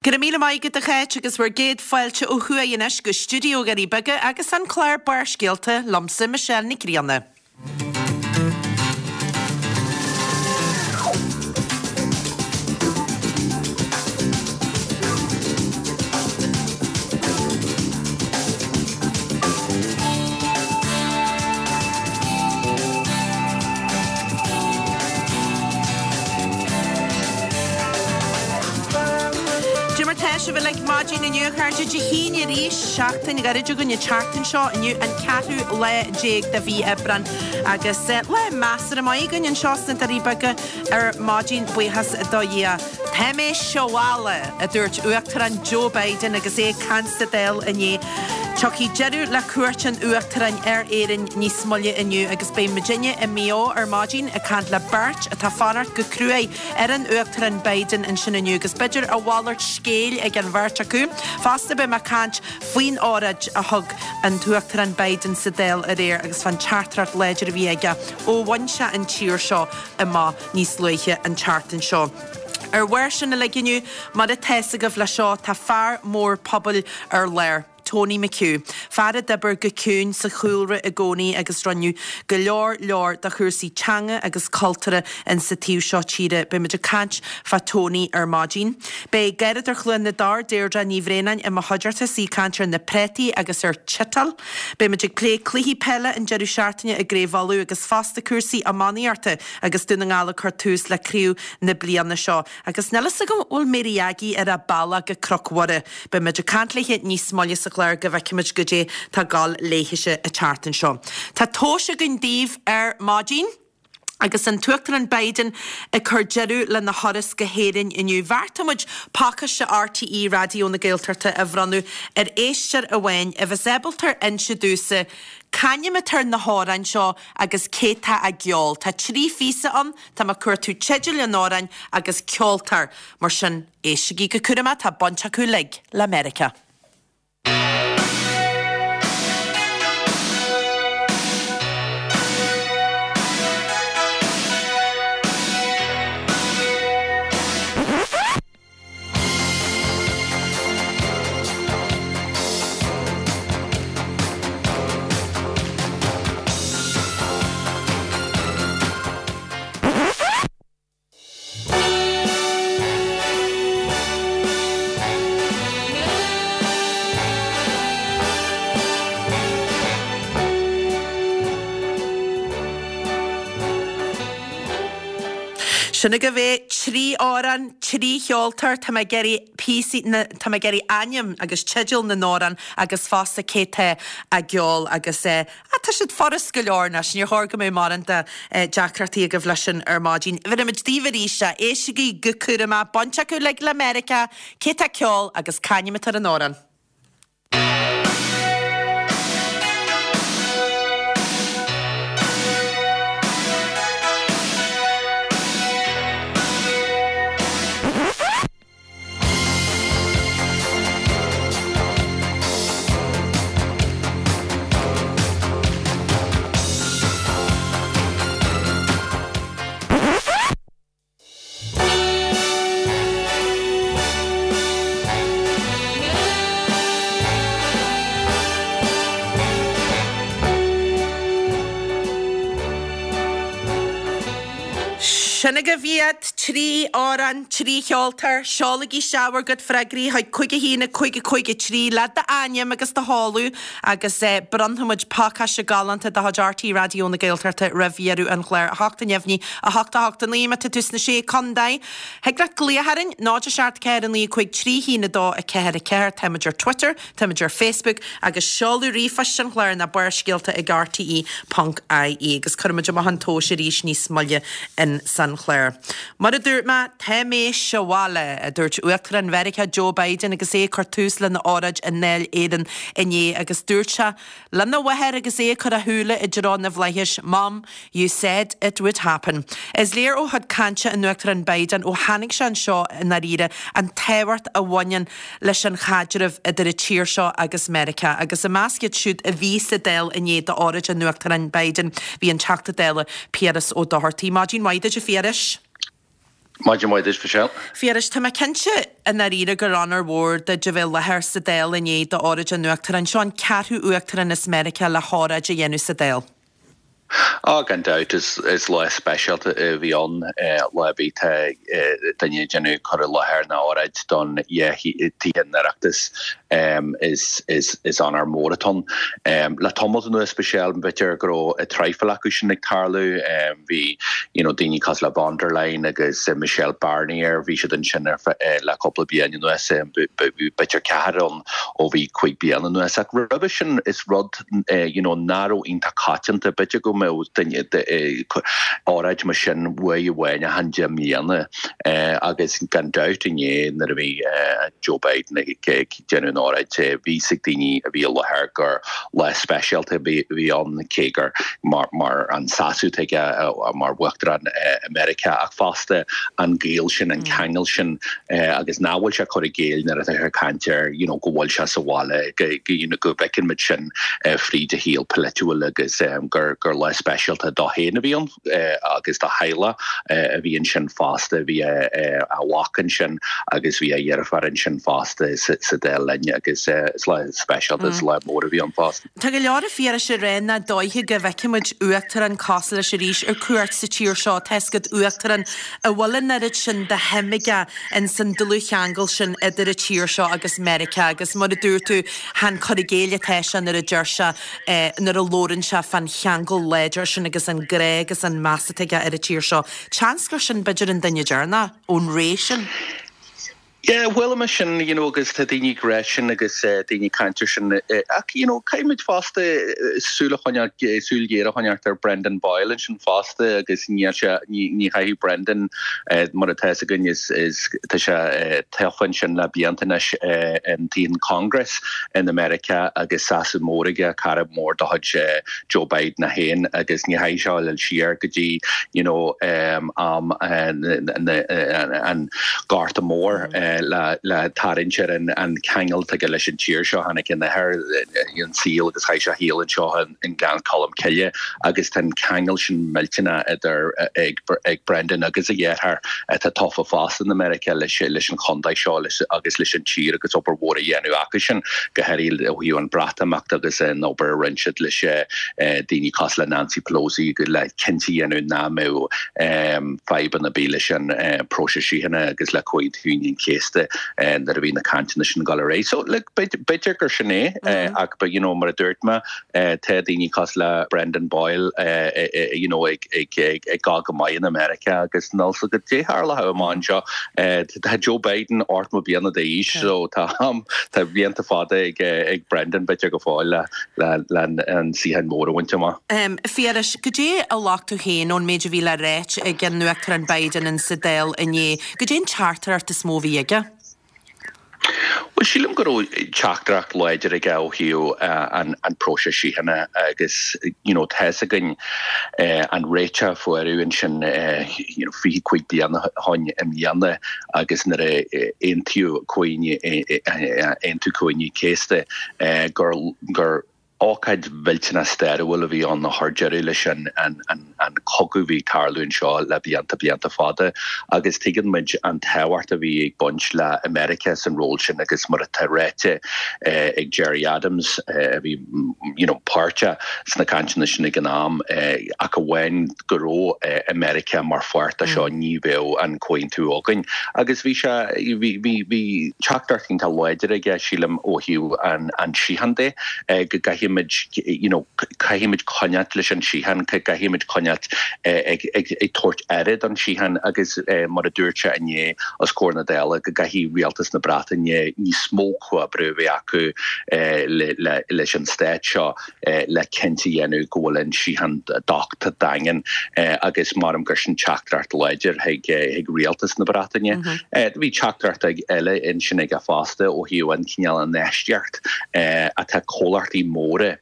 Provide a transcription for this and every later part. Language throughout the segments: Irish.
Go raibh míle maith agat a Cháit agus bhur gcéad fáilte ó thuaidh anois go stiúideo Dhoirí Beaga agus an clár Barrscéalta liomsa Michelle Nic Grianna. Cad é mar tá sibh uilig maidin inniu, a chairde? Dé hAoine arís, seachtain ghairid againn an tseachtain seo, inniu an ceathrú lá déag de mhí Aibreán agus lá measartha maith againn anseo sna Doirí Beaga ar maidin, buíochas do Dhia. Tá mé sa bhaile, a dúirt Uachtarán Joe Biden agus é ag caint sa Dáil inné. Tiocfaidh deireadh le cuairt an Uachtaráin ar Éirinn níos moille inniu agus beidh muidinne i Maigh Eo ar maidin ag caint le beirt atá ag fanacht go cruaidh ar an Uachtarán Biden ansin inniu agus b'fhéidir a mhalairt scéil ag an bheirt acu. Fosta beidh mé ag caint faoin óráid a thug an tUachtarán Biden sa Dáil aréir agus fán teachtaireacht láidir a bhí aige ó bhain sé an tír seo amach níos luaithe an tseachtain seo. Ar bharr sin uilig inniu, mar atá fhios agaibh leis seo, tá fear mór pobail ar lár, Tony McHugh. Fear a d'oibir go ciúin sa chúlra i gcónaí agus rinneadh go leor leor do chúrsaí teanga agus cultúrtha in sa taobh seo tíre. Beidh muid ag caint fá Tony ar maidin. Beidh Garradóir Chluain na dTor, Deirdre Ní Bhraonáin i mo chuideachta is í ag caint ar na préataí agus ar tiotáil. Beidh muid ag plé cluichí peile an deireadh seachtaine i gCraobh Uladh agus fosta cúrsaí iománaíochta agus Dún na nGall ag cur tús le craobh na bliana seo. Agus níl fhios agam an bhfuil Mary Aggie ar a bealach go Cnoc Mhuire. Beidh muid ag caint léithe níos moille sa chlár go bhfeicfimid goidé tá ag gabháil léithese an tseachtain seo. Tá tomhais againn daoibh ar maidin. Agus an tUachtarán Biden ag cur deireadh lena thuras go hÉirinn inniu, bheartaigh muid pacáiste RTÉ Raidió na Gaeltachta a bhronnadh ar éisteoir amháin a bheas ábalta inse domhsa c'ainm atá ar na hamhráin seo agus cé tá á gceol. Tá 3 phíosa ann, tá mé ag cuartú teideal an amhráin agus ceoltóir. Mar sin, éistigí go cúramach, tá baint acu uilig le Meiriceá. Sin agaibh é, 3 amhrán, 3 cheoltóir, tá mé ag iarraidh píosaí na, tá mé ag iarraidh ainm agus teideal na n-amhrán agus fosta cé tá á gceol agus eh, Ah, tá siad furast go leor anois, níor chóir go mbeadh mórán de deacrachtaí agaibh leis sin ar maidin. Bheirimid daoibh arís é, éistigí go cúramach, baint acu uilig le Meiriceá, cé tá ag ceol agus c'ainm atá ar an amhrán. Sin agaibh iad, 3 amhrán, 3 cheoltóir. Seolaigí isteach bhur gcuid freagraí chuig 5 1 5 5 3 le d'ainm agus do sheoladh agus bronnfaimid pacáiste galánta de chuid RTÉ Raidió na Gaeltachta roimh dheireadh an chláir. 8 neamhní, 8 8 9 má tá tú sna Sé Contae. Thig leat glaoch orainn, 0 7 4 9 5 3 1 2 4 4. Táimid ar Twitter. Táimid ar Facebook agus seoladh ríomhphoist an chláir ná barrscéalta ag rte ponc ie agus cuirfimid amach an tomhas arís níos moille in san chlár. Mar a dúirt mé, tá mé sa bhaile, a dúirt Uachtarán Mheiriceá Joe Biden agus é ag cur tús lena óráid i nDáil Éireann inné agus dúirt sé lena mháthair agus é ag cur a shúile i dtreo na bhflaithis, Mom, You said it would happen. Is léir ó chuid cainte an Uachtaráin Biden ó tháinig sé anseo i ndáiríre an tábhacht a bhaineann leis an chaidreamh idir an tír seo agus Meiriceá. Agus i measc iad siúd a bhí sa Dáil inné d'óráid an Uachtaráin Biden bhí an Teachta Dála Piaras Ó Dochartaigh. Maidin mhaith duit a Phiarais. Maidin mhaith duit, Michelle. Phiarais, tá mé cinnte i ndáiríre gur onóir mhór duit a bheith i láthair sa Dáil inné d'óráid an Uachtaráin. Seo an ceathrú Uachtarán as Meiriceá le hóráid a dhéanamh sa Dáil. Á, gan dabht, is lá speisialta a bhí ann, lá ar bith tá duine ag déanamh cur i láthair nó óráid don dhá thithe an Oireachtais, is onóir mór atá ann. Le tamalt anuas, Michelle, b'fhéidir go raibh traidhfil acu sin ag tarlú, bhí you know daoine cosúil le von der Leyen agus Michel Barnier, bhí siad ansin le cúpla bliain anuas, b'fhéidir ceathrar ann ó bhí 5 bliana anuas. Ach roimhe sin is rud you know nach raibh iontach coitianta, b'fhéidir go mbeadh duine óráid mar sin uair amháin achan 10 mbliana agus gan dabht inné nuair a bhí Joe Biden ag déanamh an óráid bhí fhios ag daoine a bhí i láthair gur lá speisialta a bhí ann cé gur mar an seasamh atá aige mar Uachtarán i Meiriceá ach fosta an gaol sin, an ceangal sin agus nach bhfuil sé ag cur i gcéill nuair atá sé ag caint air you know go bhfuil sé sa bhaile, you know go bhfeiceann muid sin fríd a shaol polaitiúil agus gur gur lá speisialta dó féin a bhí ann agus dá theaghlach a bhí ansin fosta, bhí a mhac ansin agus bhí a dheirfiúr ansin fosta sa Dáil linn agus is lá speisialta, is lá mór a bhí ann fosta. Tá go leor a Phiarais ag rá nach dóiche go bhfeicfidh muid uachtarán cosúil leis arís ar cuairt sa tír seo, tá's agat uachtarán a bhfuil an oiread sin de shuim aige ins an dlúthcheangal sin idir an tír seo agus Meiriceá agus mar a dúirt tú, chan cur i gcéill atá sé nuair a deir sé, nuair a labhrann sé fán cheangal láidir sin agus an grá agus an meas atá aige ar an tír seo. Seans gur sin b'fhéidir an duine deireanach ón ré sin. Yeah, chuala mé sin, you know, agus tá daoine ag rá sin agus daoine ag caint ar sin ach, you know, caithfidh muid fosta súil a choinneáil, súil ghéar a choinneáil ar Brendan Boyle ansin fosta agus níl sé, ní, ní chaithfidh Brendan, mar atá fhios againn, is, is, tá sé tofa ansin le blianta anois in Tigh an Congress in America agus seasamh mór aige, cara mór de chuid Joe Biden é féin agus ní chaithfidh sé a dhul siar go dtí, you know, am an Gorta Mór le tarraingt ar an cheangal atá aige leis an tír seo. Tháinig a athair an saol agus chaith sé a shaol anseo i nGleann Cholm Cille agus tá an ceangal sin millteanach idir ag Brendan agus a dheartháir atá tofa fosta in America leis an chontae seo agus leis an tír agus obair mhór á dhéanamh acu sin, go háirithe ó thaobh an Bhreatimeachta agus an obair a rinne siad leis daoine cosúil le Nancy Pelosi le cinnte a dhéanamh nach mbeadh fadhbanna ar bith leis an próiseas síochána agus le Comhaontú Aoine an Chéasta nuair a bhí na cainteanna sin ag dul ar aghaidh. So look, b'fhéidir gur sin é ach but you know mar a dúirt mé tá daoine cosúil le Brendan Boyle you know ag ag gabháil go maith in America agus níl fhios agat caidé a tharlóidh amach anseo. Tá Joe Biden 80 bliana d'aois so tá tá blianta fada ag ag Brendan b'fhéidir go fóill le le an suíochán mór a bhaint amach. A Phiarais, goidé a ghlac tú féin ón méid a bhí le ráit ag an Uachtarán Biden in sa Dáil inné? Goidé an teachtaireacht is mó a bhí aige? Bhuel, sílim go raibh teachtaireacht láidir aige ó thaobh an próiseas síochána agus you know tá fhios againn an réiteach a fuaireadh ansin you know 25 bliain ó shin i mbliana agus nuair a aontaíodh Aontú Comhaoine an Chéasta gur gur ócáid mhillteanach stairiúil a bhí ann a chuir deireadh leis an chogadh a bhí ag tarlú anseo le blianta, blianta fada. Agus tuigeann muid an tábhacht a bhí ag baint le America san ról sin agus mar atá ráite ag Gerry Adams a bhí you know páirteach sna cainteanna sin ag an am ach amháin go raibh America mar pháirt de seo ní bheadh an comhaontú againn. Agus bhí sé, bhí, bhí, bhí teachtaireacht iontach láidir aige, sílim, ó thaobh an, an síocháin de, go gcaithfimid, you know, caithfimid coinneáilt leis an síocháin, caithfimid coinneáilt ag, ag, ag tabhairt aire don síocháin agus mar a dúirt sé inné os comhair na Dála, go gcaithfidh rialtas na Breataine níos mó comhoibriú a bheith acu le, le, leis an stát seo. le cinnte a dhéanamh go bhfuil an síocháin docht daingean agus maram gur sin teachtaireacht láidir chuig rialtas na Breataine. Bhí teachtaireacht eile ansin aige fosta ó thaobh an cineál infheistíocht atá comhlachtaí móra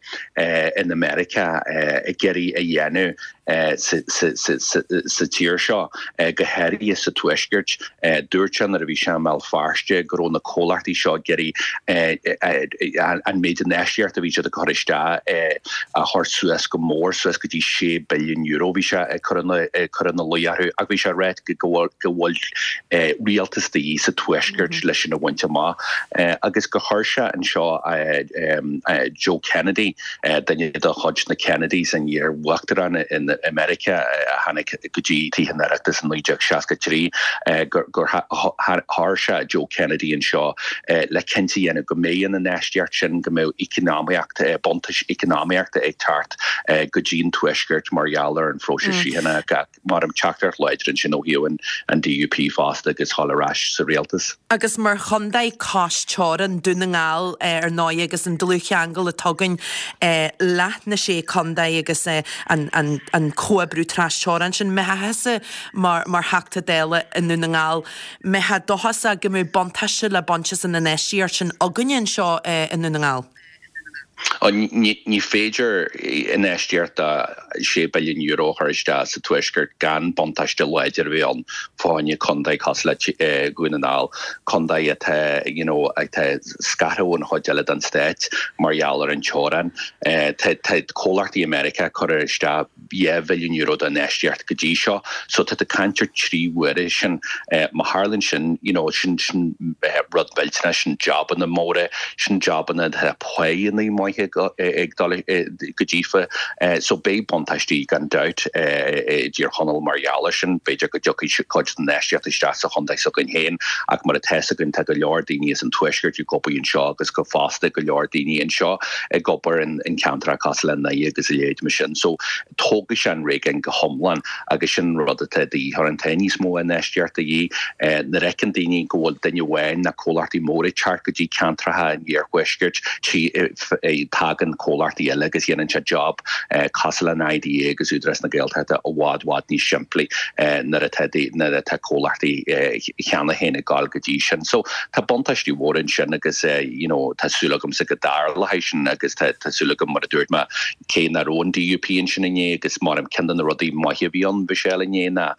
in America ag iarraidh a dhéanamh. Sa tír seo, go háirithe sa Tuaisceart, dúirt sé nuair a bhí sé i mBéal Feirste go raibh na comhlachtaí seo ag iarraidh an méid infheistíochta a bhí siad ag cur isteach a chur suas go mór, suas go dtí €6 billiún. Bhí sé ag cur ina luí orthu ach bhí sé ag rá go bhfuil rialtas de dhíth sa Tuaisceart leis sin a bhaint amach agus gur chuir sé anseo Joe Kennedy, Duine de chuid na Kennedys, an iar-uachtarán i Meiriceá a tháinig go dtí Tithe an Oireachtais in 1963, gur chuir sé Joe Kennedy anseo le cinnte a dhéanamh go mbeidh an infheistíocht sin, go mbeadh eacnamaíocht, buntáiste eacnamaíochta ag teacht go dtí an Tuaisceart mar gheall ar an phróiseas síochána. Maram teachtaireacht láidir ansin ó thaobh an DUP fosta agus dhul ar ais sa rialtas. Agus mar chontae cois teorann, Dún na nGall ar ndóigh agus an dlúthcheangal atá againn leath na sé contae agus an comhoibriú trasteorann sin, mbeifeá thusa mar Theachta Dála i nDún na nGall, mbeifeá dóchasach go mbeadh buntáiste le baint as an infheistíocht sin againne anseo i nDún na nGall? Ní féidir infheistíocht de €6 billiún a chur isteach sa Tuaisceart gan buntáiste láidir a bheith ann fá choinne contae cosúil le Dhún na nGall, contae atá you know atá scartha ón chuid eile den stát mar gheall ar an teorainn. Tá comhlachtaí i Meiriceá ag cur isteach €2 bhilliún d'infheistíocht go dtí seo. So tá tú ag caint ar 3 huaire sin. Má tharlaíonn sin, you know, sin sin rud millteanach, sin jabanna móra, sin jabanna atá páigheanna maithe ag dul go díofa. So beidh buntáistí gan dabht i dTír Chonaill mar gheall ar sin. B'fhéidir go dtiocfaidh cuid den infheistíocht isteach sa chontae s'againn féin ach mar atá fhios againn tá go leor daoine as an Tuaisceart ag obair anseo agus go fosta go leor daoine anseo ag obair in ceantracha cosúil le nDoire agus a leithéid mar sin. So tógfaidh sé an réigiún go hiomlán agus sin an rud atá de dhíth orainn. Tá níos mó infheistíocht de dhíth. Nuair a fheiceann daoine go bhfuil duine amháin nó comhlachtaí móra ag teacht go dtí ceantracha an iarthuaiscirt, tagann comhlachtaí eile agus dhéanann sé job cosúil le an IDA agus Údarás na Gaeltachta i bhfad bhfad níos simplí nuair atá nuair atá comhlachtaí cheana féin ag gabháil go dtí sin. So tá buntáistí mhóra ansin agus you know tá súil agamsa go dtarlóidh sin agus tá tá súil agam mar a dúirt mé cé nach raibh an DUP ansin inné agus mar ceann de na rudaí maithe a bhí ann Michelle inné ná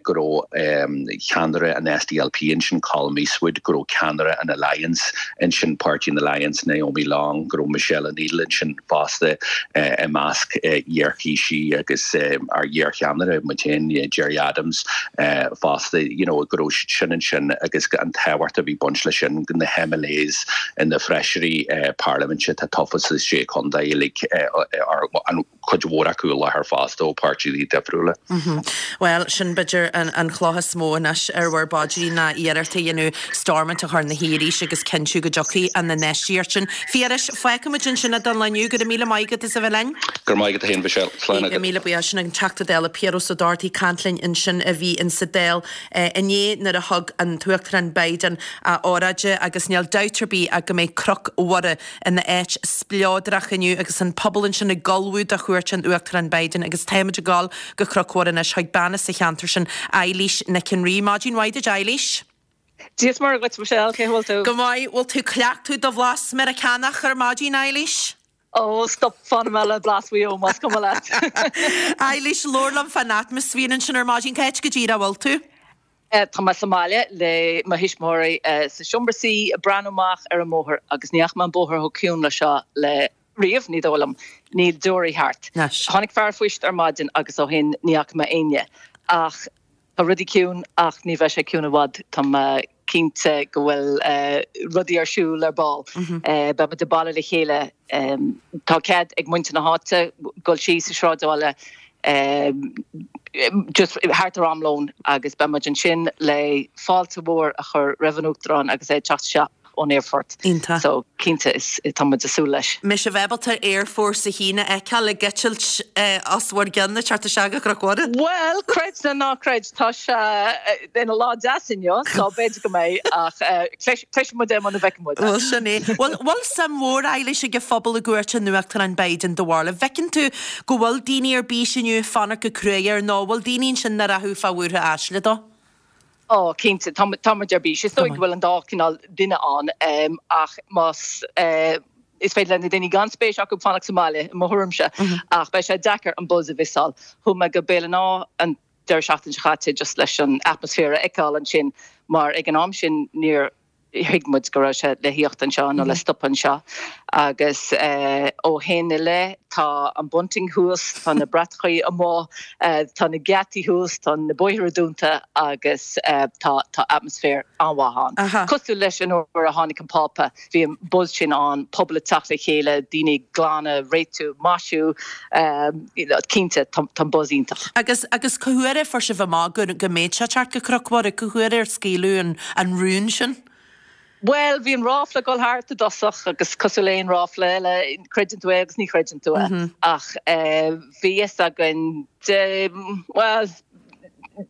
go raibh ceannaire an SDLP ansin Colum Eastwood, go raibh ceannaire an Alliance ansin Páirtí an Alliance Naomi Long, go raibh Michelle O'Neill ansin fosta i measc iarthaoisigh agus ár iarcheannaire muid féin Gerry Adams fosta you know go raibh siad sin ansin agus an tábhacht a bhí baint leis sin na MLAs na feisirí parlaiminte atá tofa sa sé chontae uilig an cuid mhór acu i láthair fosta ó páirtithe difriúla. Bhuel, sin b'fhéidir an chloch is mó anois ar bhur bpaidrín ná iarracht a dhéanamh Stormont a chur ina shuí arís agus cinntiú go dtiocfaidh an infheistíocht sin. Phiarais, fágfaidh muid ansin é don lá inniu. Go raibh míle maith agat as a bheith linn. Go raibh maith agat féin, Michelle. Slán agat. Míle buíochas. Sin an Teachta Dála Piaras Ó Dochartaigh ag caint linn ansin a bhí in sa Dáil inné nuair a thug an tUachtarán Biden a óráid agus níl dabht ar bith ach go mbeidh Cnoc Mhuire ina áit spleodrach inniu agus an pobal ansin ag ullmhú do chuairt an Uachtaráin Biden agus táimid ag dul go Cnoc Mhuire anois chuig bean as an cheantar sin, Eilís Nic an Rí. Maidin mhaith duit Eilís. Dia is Muire dhuit Michelle, cén chaoi a bhfuil tú? Go maith, bhfuil tú ag cleachtadh do bhlas Meiriceánach ar maidin Eilís? Ó, stop, fanfaidh mé le blas Mhaigh Eo más cuma leat. Eilís, labhair liom fán atmaisféar ansin ar maidin, cá háit go díreach a bhfuil tú? Tá mé sa mbaile le mo thuismitheoirí sa seomra suí ag breathnú amach ar an mbóthar agus ní fhaca mé an bóthar chomh ciúin le seo le riamh, ní dóigh liom. Níl deoraí thart. Tháinig fear an phoist ar maidin agus ó shin ní fhaca mé éinne. Ach tá rudaí ciúin ach ní bheidh sé ciúin i bhfad. Tá mé cinnte go bhfuil rudaí ar siúl ar ball. Beidh muid ag bailiú le chéile. Tá cead ag muintir na háite dul síos sa sráidbhaile just thart ar am lóin agus beidh muid ansin le fáilte mhór a chur roimh an Uachtarán agus é ag teacht isteach ón aerfort. Iontach. So cinnte is tá muid ag súil leis. Mbeidh sibh ábalta Air Force 1 a fheiceáil ag eitilt os bhur gcionn ag teacht isteach go Cnoc Mhuire? Bhuel, creid nó ná creid, tá sé ina lá deas inniu, so b'fhéidir go mbeidh, ach cloisfidh muid é muna bhfeicfidh muid é. Bhuel, sin é. Bhfuil, bhfuil suim mhór, Eilís, ag an phobal i gcuairt an Uachtaráin Biden do bharúil? An bhfeiceann tú go bhfuil daoine ar bís inniu ag fanacht go cruaidh air nó an bhfuil daoine ansin nach rachadh fá bhuartha aisle dó? Ó, cinnte, tá muid ar bís. Is dóigh go bhfuil an dá chineál duine ann, ach más. Is féidir le na daoine gan spéis acu fanacht sa mbaile, i mo thuairimse, ach beidh sé deacair an buzz a mhissáil. Chuaigh mé go Béal an Átha an deireadh seachtaine seo caite just leis an atmaisféar a fheiceáil ansin mar ag an am sin níor thuig muid go raibh sé le thíocht anseo nó le stopadh anseo agus ó shin i leith tá an bunting thuas, tá na bratachaí amuigh, tá na geataí thuas, tá na bóithre dúnta agus tá tá atmaisféar an-mhaith ann. Cosúil leis an uair a tháinig an Pápa. Bhí an buzz sin ann, pobal ag teacht le chéile, daoine ag glanadh, réitiú, maisiú, cinnte tá an buzz iontach. Agus, agus cá huair a fuair sibh amach go, go mbeadh sé ag teacht go Cnoc Mhuire, cá huair ar scaoileadh an, an rún sin? Bhuel, bhí an ráfla ag dul thart i dtosach agus cosúil le aon ráfla eile, creideann tú é agus ní chreideann tú é. Ach bhí fhios againn de, bhuel,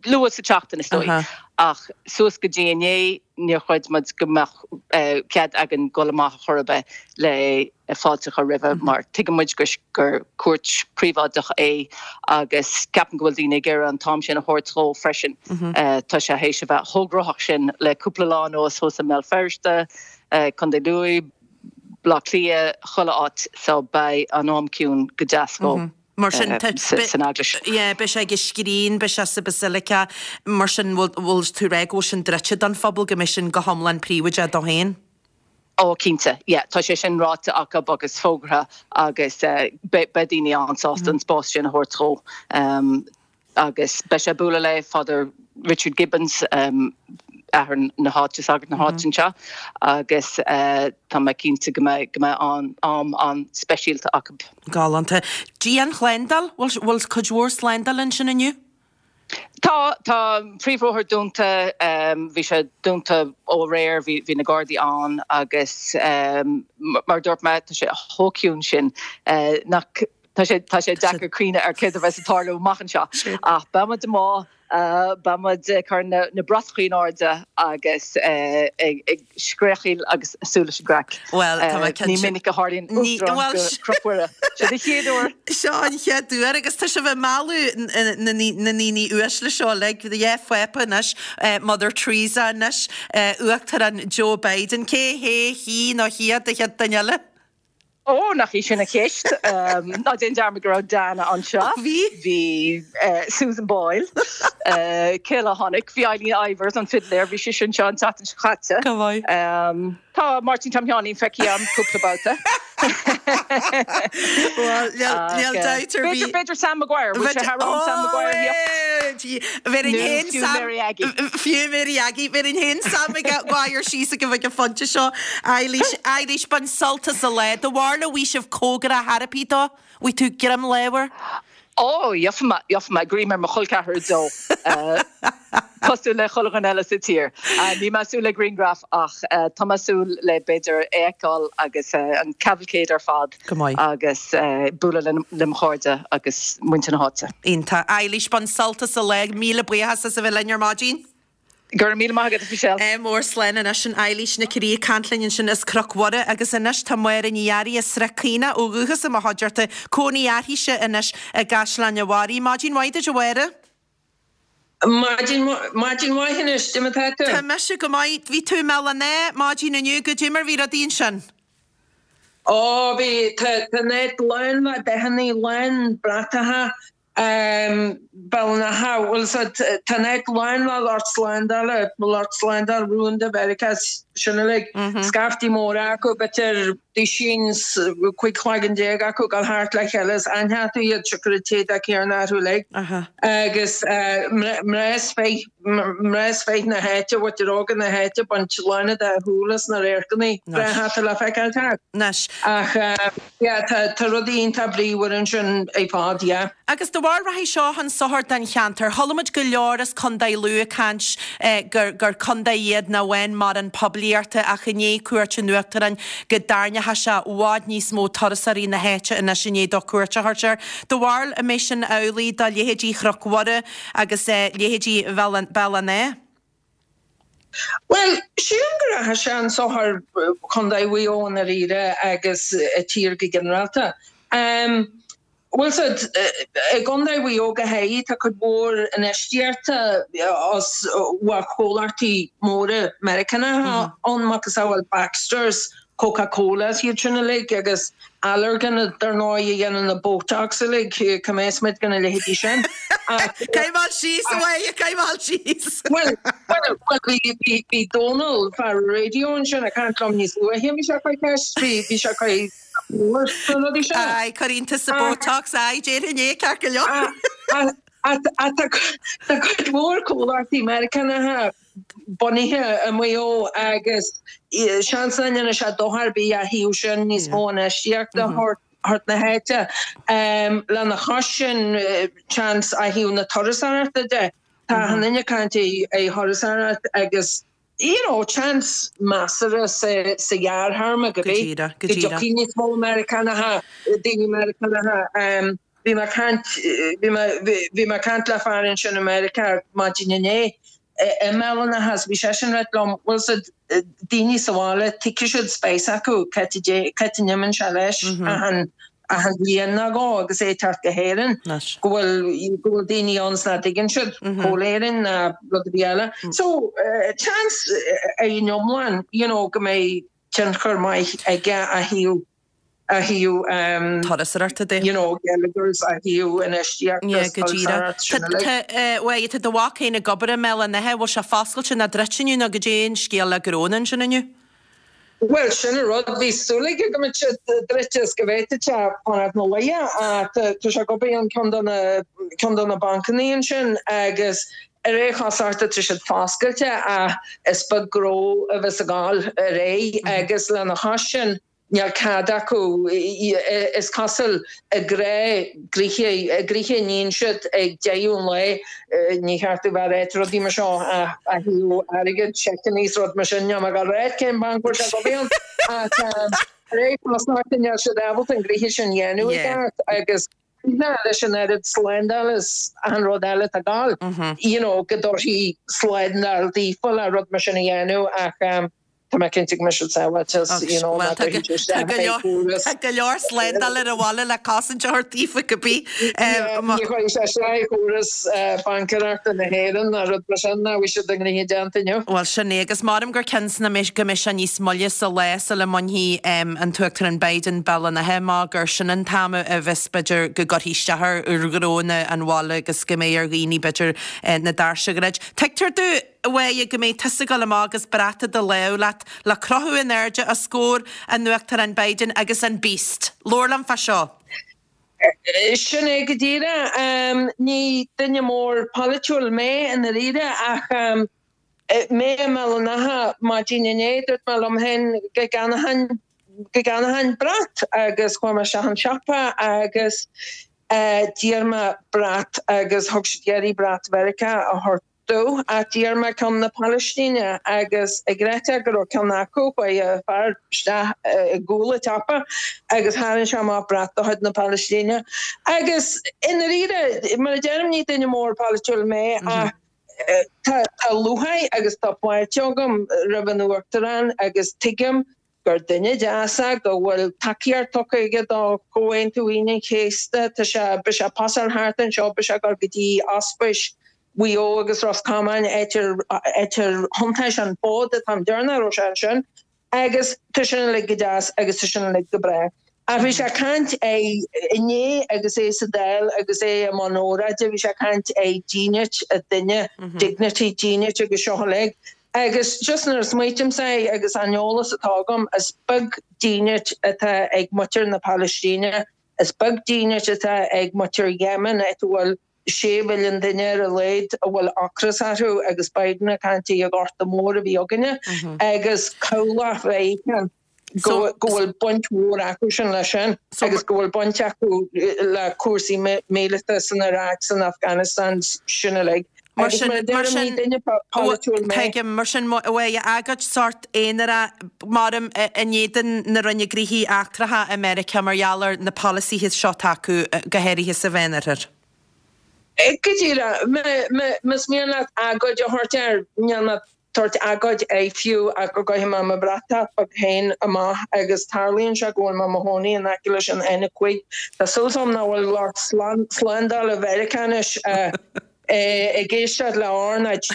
luath sa tseachtain is dóigh. Ach suas go dtí inné, níor chreid muid go mbeadh cead againn dul amach ar chor ar bith le fáilte a chur roimhe mar tuigeann muid gur cuairt phríobháideach é agus ceapaim go bhfuil daoine ag iarraidh an t-am sin a thabhairt dhó freisin. Tá sé théis a bheith chomh gnóthach sin le cúpla lá anuas thuas i mBéal Feirste, Contae Lú, Baile Átha Cliath, chuile áit so beidh an am ciúin go deas dhó. Mar sin, tá, san eaglais. Yeah, beidh sé ag an scrín, beidh sé sa Basilica, mar sin, bhfuil, bhfuil tú ag rá go bhfuil sin druidte don phobal, go mbeidh sin go hiomlán príobháideach dó féin? Ó, cinnte, yeah, tá sé sin ráite acu agus fógartha agus beidh, beidh daoine an-sásta an spás sin a thabhairt dhó. Agus beidh sé ag bualadh le Father Richard Gibbons, athair na háite, sagart na háite anseo, agus tá mé cinnte go mbeidh, go mbeidh an, am an-speisialta acu. Galánta. Dianshlándáil, bhfuil, bhfuil cuid mhór slándáil ansin inniu? Tá, tá an príomhbhóthar dúnta, bhí sé dúnta ó aréir, bhí, bhí na Gardaí ann agus mar a dúirt mé, tá sé chomh ciúin sin nach, Tá sé, tá sé deacair cuimhneamh ar céard a bheas ag tarlú amach anseo. Ach beidh muid amuigh, beidh muid ag cur na, na bratachaí in airde agus ag, ag scréachaíl agus ag súil leis an gcraic. Bhuel, tá mé cinnte. Ní minic a tharlaíonn uachtarán go Cnoc Mhuire. Seo an chéad uair. Seo an chéad uair agus tá sibh ag mealladh na, na ndaoine uaisle seo uilig. Yeah, Phápa anois, Mother Teresa anois, Uachtarán Joe Biden. Cé hé, hí nó hiad an chéad duine eile? Ó, nach í sin an cheist. Ná déan dearmad go raibh Diana anseo. Bhí. Bhí Susan Boyle. Cé eile a tháinig? Bhí Eileen Ivers, an fidléir, bhí sise anseo an tseachtain seo caite. Go maith. Tá Máirtín Tom Sheáinín feicthe agam cúpla babhta. Bhuel, níl dabht ar bith. B'fhéidir Sam Maguire, bhfuil sé thar am Sam Maguire a thíocht? Bhéarfainn féin Sam. Fiú Mary Aggie. Fiú Mary Aggie. Bhéarfainn féin Sam Maguire síos ag an phointe seo. Eilís, Eilís, bain sult as an lá. Do bharúil an bhfaighidh sibh cóngarach ar bith dó? Bhfaighidh tú greim láimhe air? Ó, gheobhaidh mé, gheobhaidh mé greim ar mo chol ceathrar dó. Cosúil le chuile dhuine eile sa tír. Níl mé ag súil le grianghraf ach tá mé ag súil le b'fhéidir é a fheiceáil agus an cavalcade ar fad. Go maith. Agus bualadh le mo chairde agus muintir na háite. Iontach. Eilís, bain sult as an lá. Míle buíochas as a bheith linn ar maidin. Go raibh míle maith agat, a Mhichelle. Ádh mór slán anois sin Eilís Nic Rí ag caint linn ansin as Cnoc Mhuire agus anois tá Máire Ní Fhearraigh as Srath Caonach ó dhúchas i mo chuideachta, cónaí uirthise anois i gCaisleán an Bharraigh. Maidin mhaith duit a Mháire. Maidin maidin mhaith anois, cad é mar tá tú? Tá mise go maith. Bhí tú i mBéal an Átha maidin inniu, goidé mar bhí rudaí ansin? Ó bhí, tá tá an áit lán le dathannaí, lán bratacha, Béal an Átha, bhfuil 's a'd, tá an áit lán le lucht slándála, lucht slándála rúnda Mheiriceá, sin uilig, scaifte móra acu, b'fhéidir duisín 's 15 cloigeann acu ag dul thart le chéile is aithneofá iad siocair an t-éadach céanna orthu uilig. Agus mná is fir, mná is fir na háite, mhuintir óga na háite ag baint lán dá shúile as na radharcanna breátha atá le feiceáil thart. Ach yeah, tá tá rudaí iontach bríomhar ansin ar fad, yeah. Agus do bharúil rachaidh seo chun sochair don cheantar. Chuala muid go leor as Contae Lú ag caint gur gur contae iad nach bhfaigheann mórán poiblíochta ach i ndiaidh cuairt an Uachtaráin go dtarraingeoidh sé i bhfad níos mó turasóirí na háite anois i ndiaidh dó cuairt a thabhairt air. Do bharúil an mbeidh sin amhlaidh do leithéidí Chnoc Mhuire agus leithéidí Bhéal an Átha? Bhuel, sílim go rachaidh sé chun sochair Chontae Mhaigh Eo i ndáiríre agus an tír go ginearálta. Bhfuil 's a'd, i gContae Mhaigh Eo go háirithe, tá cuid mhór infheistíochta as chomhlachtaí móra Meiriceánacha ann, macasamhail Baxter's. Coca Cola is iad sin uilig agus Allergan dar ndóigh a dhéanann na Botox uilig, cá mbeas muid gan a leithéidí sin? Ach. Coimeád síos a Mháire, coimeád síos! Bhuel, bhuel, bhuel, bhí, bhí Dónal, fear an raidió ansin ag caint liom níos luaithe, bhí sé ag cur ceist, bhí, bhí sé ag cur mór sna rudaí sin. Aye, cuireann tusa Botox, aye, déarfainn é, ceart go leor. Ach tá cuid mhór comhlachtaí Meiriceánacha bunaithe i Maigh Eo agus seans nach ndéanfaidh sé dochar ar bith ó thaobh sin níos mó infheistíochta a thabhairt na háite. Lena chois sin, seans ó thaobh na turasóireachta de, tá achan duine ag caint ar thurasóireacht agus you know seans measartha sa ghearrthéarma go Go díreach, go go díreach. dtiocfaidh níos mó Meiriceánacha, daoine Meiriceánacha. Bhí mé ag caint, bhí mé, bhí mé ag caint le fear ansin i Meiriceá maidin inné i mBéal an Átha agus bhí seisean ag ráit liom, bhfuil 's a'd, daoine sa bhaile, tuigfidh siad spéis acu cá háit a, cá háit a n-imíonn sé leis achan, achan bhliain nó dhó agus é ag teacht go hÉirinn, go bhfuil, go bhfuil daoine ann 's nach dtuigeann siad cá bhfuil Éirinn ná rud ar bith eile. So, seans ar an iomlán, you know, go mbeidh tionchar maith aige ó thaobh, ó thaobh, Turasóireachta de. you know, geilleagar is ó thaobh infheistíocht Yeah, is go díreach. turasóireacht sin uilig. Tá, tá, bhuel, tá do mhac féin ag obair i mBéal an Átha, bhfuil sé foscailte nó druidte inniu nó goidé an scéal le gnónna ansin inniu? Bhuel, sin an rud, bhí súil aige go mbeadh sé druidte is go bhféadfadh sé fanacht 'na luí ach tá sé ag obair in ceann de na, ceann de na bancannaí ansin agus ar aon chosúlacht tá siad foscailte ach is beag gnó a bheas ag gabháil ar aghaidh agus lena chois sin, Níl cead acu, is cosúil, a ngnoithe, a ngnoithe a níonn siad ag deireadh an lae, ní cheart domh bheith ag ráit rudaí mar seo ach ó thaobh airgid, seiceanna is rud mar sin, níl mé ag dul a ráit cén banc bhfuil sé ag obair ann ach ar aon chosúlacht níl siad ábalta an gnoithe sin a dhéanamh i gceart agus leis an oiread slándáil is achan rud eile atá ag gabháil, you know, go dtabharfaí slándáil daofa le rud mar sin a dhéanamh ach Tá mé cinnte go mbeidh siad sábháilte is you know Bhuel, tá go leor, tá go leor slándáil ar an bhaile le cosaint a thabhairt daofa cibé. Ní chuirfidh sé isteach ar chóras baincéireachta na hÉireann ná rud mar sin ná bhí siad a ngnoithe déanta inniu. Bhuel, sin é, agus maram gur cionn 's na mbeidh, go mbeidh sé níos moille sa lá sula mbainfidh an tUachtarán Biden Béal an Átha amach gur sin an t-am a bheas b'fhéidir go gcuirfí isteach ar ghnónna an bhaile agus go mbeidh ar dhaoine b'fhéidir na doirse a dhruid. Tuigtear domh. a Mháire, go mbeidh tusa ag dul amach agus brat i do lámh leat le crochadh in airde os comhair an Uachtaráin Biden agus an Beast. Labhair liom fá seo. Sin é go díreach. Ní duine mór polaitiúil mé i ndáiríre ach mé i mBéal an Átha maidin inné dúirt mé liom féin go gceannóchainn go gceannóchainn brat agus chuaigh mé isteach an siopa agus d'iarr mé brat agus thug siad iarraidh brat Mheiriceá a thabhairt domh ach d'iarr mé ceann na Palaistíne agus ag réiteach go raibh ceann acu, chuaigh fear isteach i gcúl an tsiopa agus tharraing sé amach brat de chuid na Palaistíne. Agus i ndáiríre, mar a deirim, ní duine mór polaitiúil mé ach tá lúcháir agus tá fáilte agam roimh an Uachtarán agus tuigim gur duine deas é, go bhfuil tacaíocht tugtha aige do Chomhaontú Aoine an Chéasta, tá sé, beidh sé ag pasáil thart anseo, beidh sé ag dul go dtí ospís Mhaigh Eo agus Ros Comáin, áit ar, áit ar thiontaigh sé an fód an t-am deireanach a raibh sé ansin, agus tá sin uilig go deas agus tá sin uilig go breá. Ach bhí sé ag caint ar, inné agus é sa Dáil agus é i mbun óráide, bhí sé ag caint ar dhínit an duine, dignity, dínit agus seo uilig. Agus just nuair a smaoitímse air agus an eolas atá agam, is beag dínit atá ag muintir na Palaistíne, is beag dínit atá ag muintir Yemen, áit a bhfuil sé mhilliún duine ar a laghad a bhfuil ocras orthu agus Biden ag caint ar an Ghorta Mór a bhí againne agus cabhlach Mheiriceá. go bhfuil baint mhór acu sin leis sin agus go bhfuil baint acu le cúrsaí míleata san Iaráic, san Afganastáin, sin uilig. Mar sin, mar sin, tuigim, mar sin, bhuel, agóid sórt aonarach, maram, in éadan na Roinne Gnóthaí Eachtracha i Meiriceá mar gheall ar na polasaithe seo atá acu, go háirithe sa Mheánoirthear. Go díreach. Más mian leat agóid a thabhairt air, níl mé tabhairt agóid air fiú ach go gcuirfidh mé mo bhratach beag féin amach agus tarlaíonn sé go bhfuil mé i mo chónaí in aice leis an N5. Tá súil agam nach bhfuil lucht slándála Mheiriceá anois. Ag éisteacht le R na G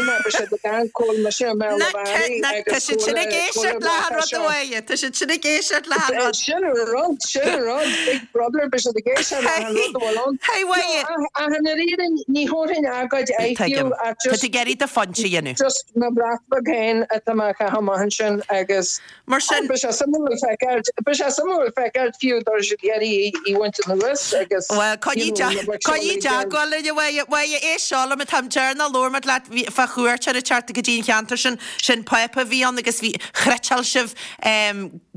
mar beidh siad ag amharc cá bhfuil mise i mBeal an Bharraigh agus Tá siad sin ag éisteacht le an rud a Mháire, tá siad sin ag éisteacht le an rud. Sin an rud, sin an rud, Big Brother, beidh siad ag éisteacht le an rud a bhfuil ann. Hey Mháire. Ach i ndáiríre ní thabharfainn agóid fiú ach just. Tá tú ag iarraidh do phointe a dhéanamh. Just mo bhrat beag féin atá mé a chaitheamh amach ansin agus. Mar sin. Beidh sé suimiúil feiceáil, beidh sé suimiúil feiceáil fiú dá raibh siad ag iarraidh í a bhaint anuas agus Bhuel, coinnigh coinnigh i dteagmháil linn, a Mháire. Mháire, éist seo liom, an t-am deireanach labhair muid leat fá chuairteoir ag teacht go dtí an cheantar sin, sin Pápa a bhí ann agus bhí, chniotáil sibh,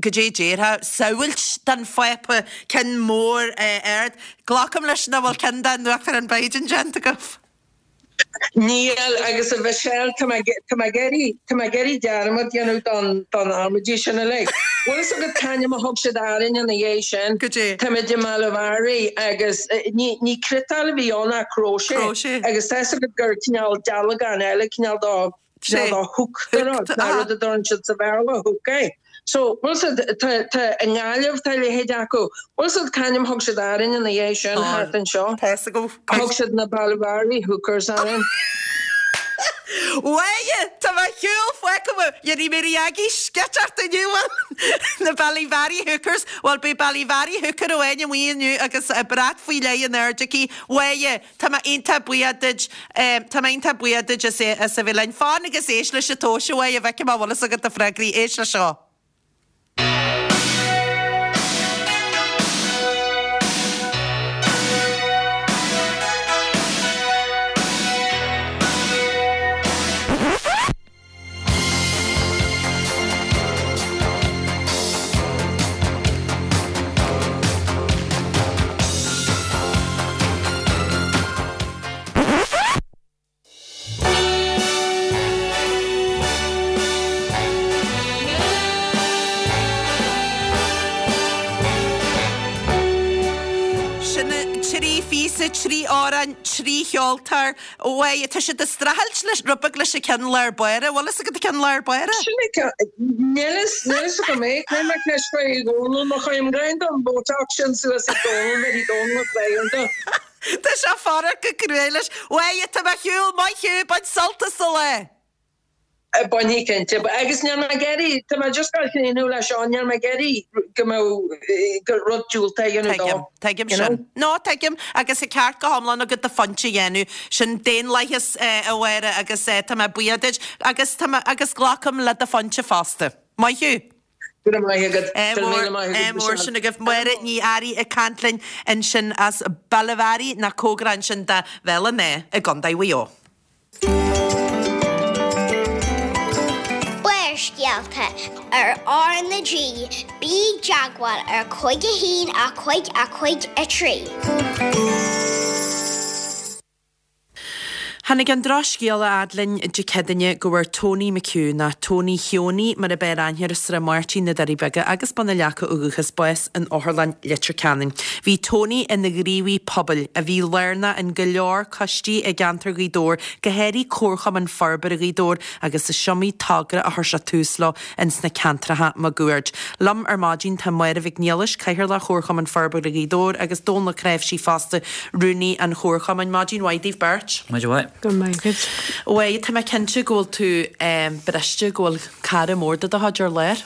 goidé déarfá, samhailt den Phápa, ceann mór ard. Glacaim leis nach bhfuil ceann den Uachtarán Biden déanta agaibh? Níl, agus a Mhichelle, tá mé, tá mé ag iarraidh, tá mé ag iarraidh dearmad dhéanamh don, don amaidí sin uilig. Bhfuil fhios agat c'ainm a thug siad orainn ina dhiaidh sin? Goidé? Táimid i mBallyvary agus ní, ní cniotáil a bhí ann ach cróiséas. Cróiséas. Agus tá fhios agat gur cineál dealgán eile, cineál do, cineál do hook, do rud, ná rud a deireann siad sa Bhéarla, hook é. So, bhfuil fhios agat, tá, tá, i nGaillimh tá a leithéid acu. Bhfuil fhios agat c'ainm thug siad orainn ina dhiaidh sin, thart anseo? Tá fhios agam. Thug siad na Ballyvary Hookers orainn. Mháire, tá mo shiúl fágtha amuigh. Dhéanfaidh mé ar aghaidh sceiteacht inniu, bhuel, na Ballyvary Hookers. Bhuel, beidh Ballyvary Hooker amháin amuigh inniu agus brat faoi leith in airde aici. Mháire, Tá mé iontach buíoch duit, tá mé iontach buíoch duit as as a bheith linn. Fan agus éist leis an tomhais a Mháire, bhfeicfidh mé an bhfuil fhios agat na freagraí. Éist leis seo. Sin 3 phíosa, 3 amhrán, 3 cheoltóir. Mháire, tá siad ag streachailt leis, rud beag leis an ceann lár báire. Bhfuil fhios agat an ceann lár báire? Sin é ceann, níl fhios, níl fhios agam é. Cuirfidh mé ceist faoi ag Dónal, má chuirim greim don Botox sin suas ag Dónal, bheadh Dónal ag plé ar do. Tá sé ag faire go cruaidh leis. Mháire, tá mé ar shiúl, maith thú, bain sult as an lá! Bainfidh cinnte. Agus níl mé ag iarraidh, tá mé just ag críochnú leis seo, níl mé ag iarraidh go mbeadh, go rud diúltach a dhéanamh dó. Tuigim, tuigim You know? sin. No, tuigim, agus tá ceart go hiomlán agat do phointe a dhéanamh. Sin daonlathas, a Mháire, agus tá mé buíoch duit, agus tá mé, agus glacaim le do phointe fosta. Maith thú. Go raibh maith agat. Ádh Go raibh mór, míle maith agat, ádh mór Michelle. sin agaibh. Máire Ní Fhearraigh ag caint linn ansin as Ballyvary, nach cóngarach ansin do Bhéal an Átha i gContae Mhaigh Eo. Barrscéalta ar R na G, bí i dteagmháil ar 5 1 5 5 3. Tháinig an drochscéala a fhad linn Dé Céadaoine go bhfuair Tony McHugh, nó Tony Sheonie mar ab fhearr aithne air, as Srath Máirtín, Na Doirí Beaga agus Bun an Leaca ó dhúchas, bás in Otharlann Leitir Ceanainn. Bhí Tony ina ghníomhaí pobail a bhí lárnach in go leor coistí i gceantar Ghaoth Dobhair, go háirithe Comharchumann Forbartha Ghaoth Dobhair agus is iomaí togra a chuir sé tús leo ins na ceantracha maguaird. Liom ar maidin tá Máire Mhic Niallais, Cathaoirleach Chomharchumann Forbartha Ghaoth Dobhair agus Dónal Ó Cnáimhsí fosta, Rúnaí an Chomharchumainn. Maidin mhaith daoibh beirt. Maidin mhaith. Go raibh maith agat. Mháire, tá mé cinnte go bhfuil tú briste go bhfuil cara mór de do chuid ar lár.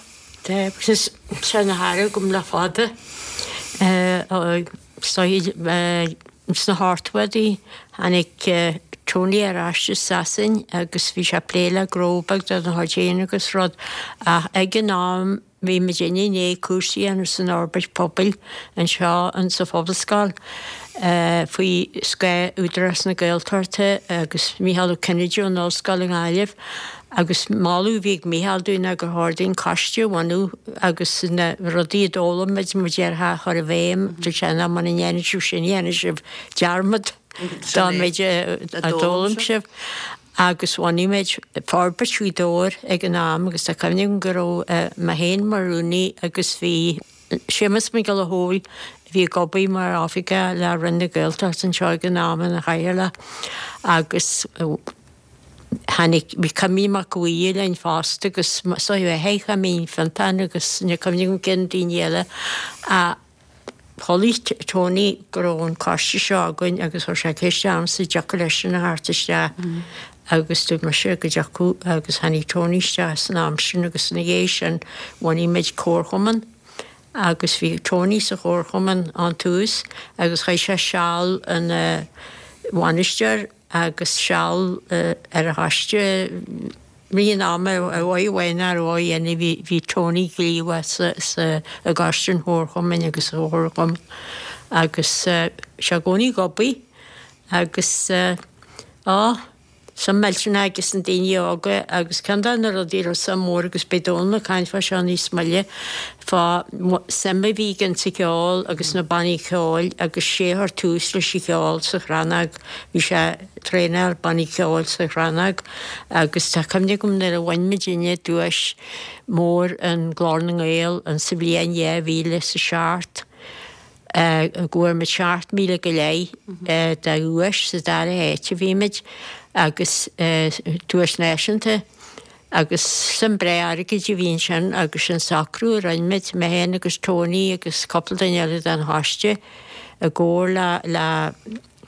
Tá, agus tá sé ina chara agam le fada. Sna hochtóidí tháinig Tony ar ais as Sasain agus bhí sé ag plé le gnó beag dá chuid féin agus rud ach ag an am bhí muidinne i ndiaidh cúrsa a dhéanamh san fhorbairt pobail anseo in sa Phobalscoil faoi scáth Údarás na Gaeltachta agus Mícheál Ó Cinnéide ón Ollscoil i nGaillimh Agus moladh a bhí ag Mícheál dúinn ná gur chóir dúinn coiste a bhunú agus na rudaí a d'fhoghlaim muid, mar déarfá, a chur i bhfeidhm. Dúirt sé, ná muna ndéanann sibh sin, dhéanfaidh sibh dearmad dá méid a d'fhoghlaim sibh. Agus bhunaigh muid Forbairt Ghaoth Dobhair ag an am agus tá cuimhne agam go raibh mé féin mar rúnaí agus bhí Séamus Mac Giolla Chóill, a bhí ag obair mar oifigeach le Roinn na Gaeltachta anseo ag an am ina chathaoirleach agus Tháinig, bhí Cuimín Mac Uidhir linn fosta agus so bhí Cuimín Fionntán agus níl cuimhne agam cén daoine eile. Chuala Tony go raibh an coiste seo againn agus chuir sé ceist ormsa an dtiocfadh leisean a theacht isteach agus dúirt mise go dtiocfadh agus tháinig Tony isteach san am sin agus ina dhiaidh sin bhunaigh muid comharchumann agus bhí Tony sa chomharchumann ón tús agus chaith sé seal ina bhainisteoir agus seal ar an choiste rith an ama ar mhaith amháin nó ar dhóigh eile bhí bhí Tony gníomhach sa sa i gcoiste an chomharchumainn agus sa chomharchumann agus sé i gcónaí ag obair agus á suim millteanach aige sna daoine óga agus ceann de na rudaí a raibh suim mhór agus beidh Dónal ag caint fá seo níos moille fá suim a bhí aige sa cheol agus na bannaí ceoil agus sé a chuir tús leis an cheol sa Chrannóg. Bhí sé ag traenáil bannaí ceoil sa Chrannóg agus tá cuimhne agam nuair a bhain muidinne duais mór an Glór na nGael an sa bhliain 2007 go bhfuair muid 7,000 go leith de dhuais sa dara háit a bhí muid agus duais náisiúnta agus suim breá airgid a bhí ansin agus sin socrú a rinne muid, mé féin agus Tony agus cúpla duine eile den choiste i gcomhar le le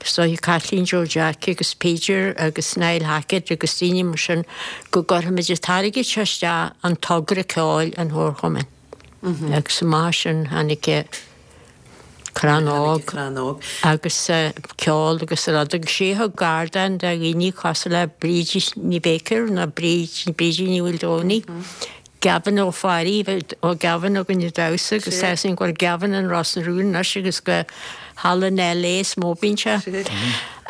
is dóiche Caitlín Joe Jack agus Peter agus Niall Hackett agus daoine mar sin go gcuirfimid an t-airgead seo isteach an togra ceoil an Chomharchumainn. Agus amach sin tháinig Crann Óg agus ceol agus rud agus sé a thug ardán do dhaoine cosúil le Bríd Ní Baker nó Bríd Brídín Ní Mhaoldomhnaigh, Gavin Ó Fearraigh, bhí ó Gavin againn ag damhsa agus tá fhios againn go bhfuil Gavin in Ros na Rún anois agus go thall in LA is mó a bíonn sé.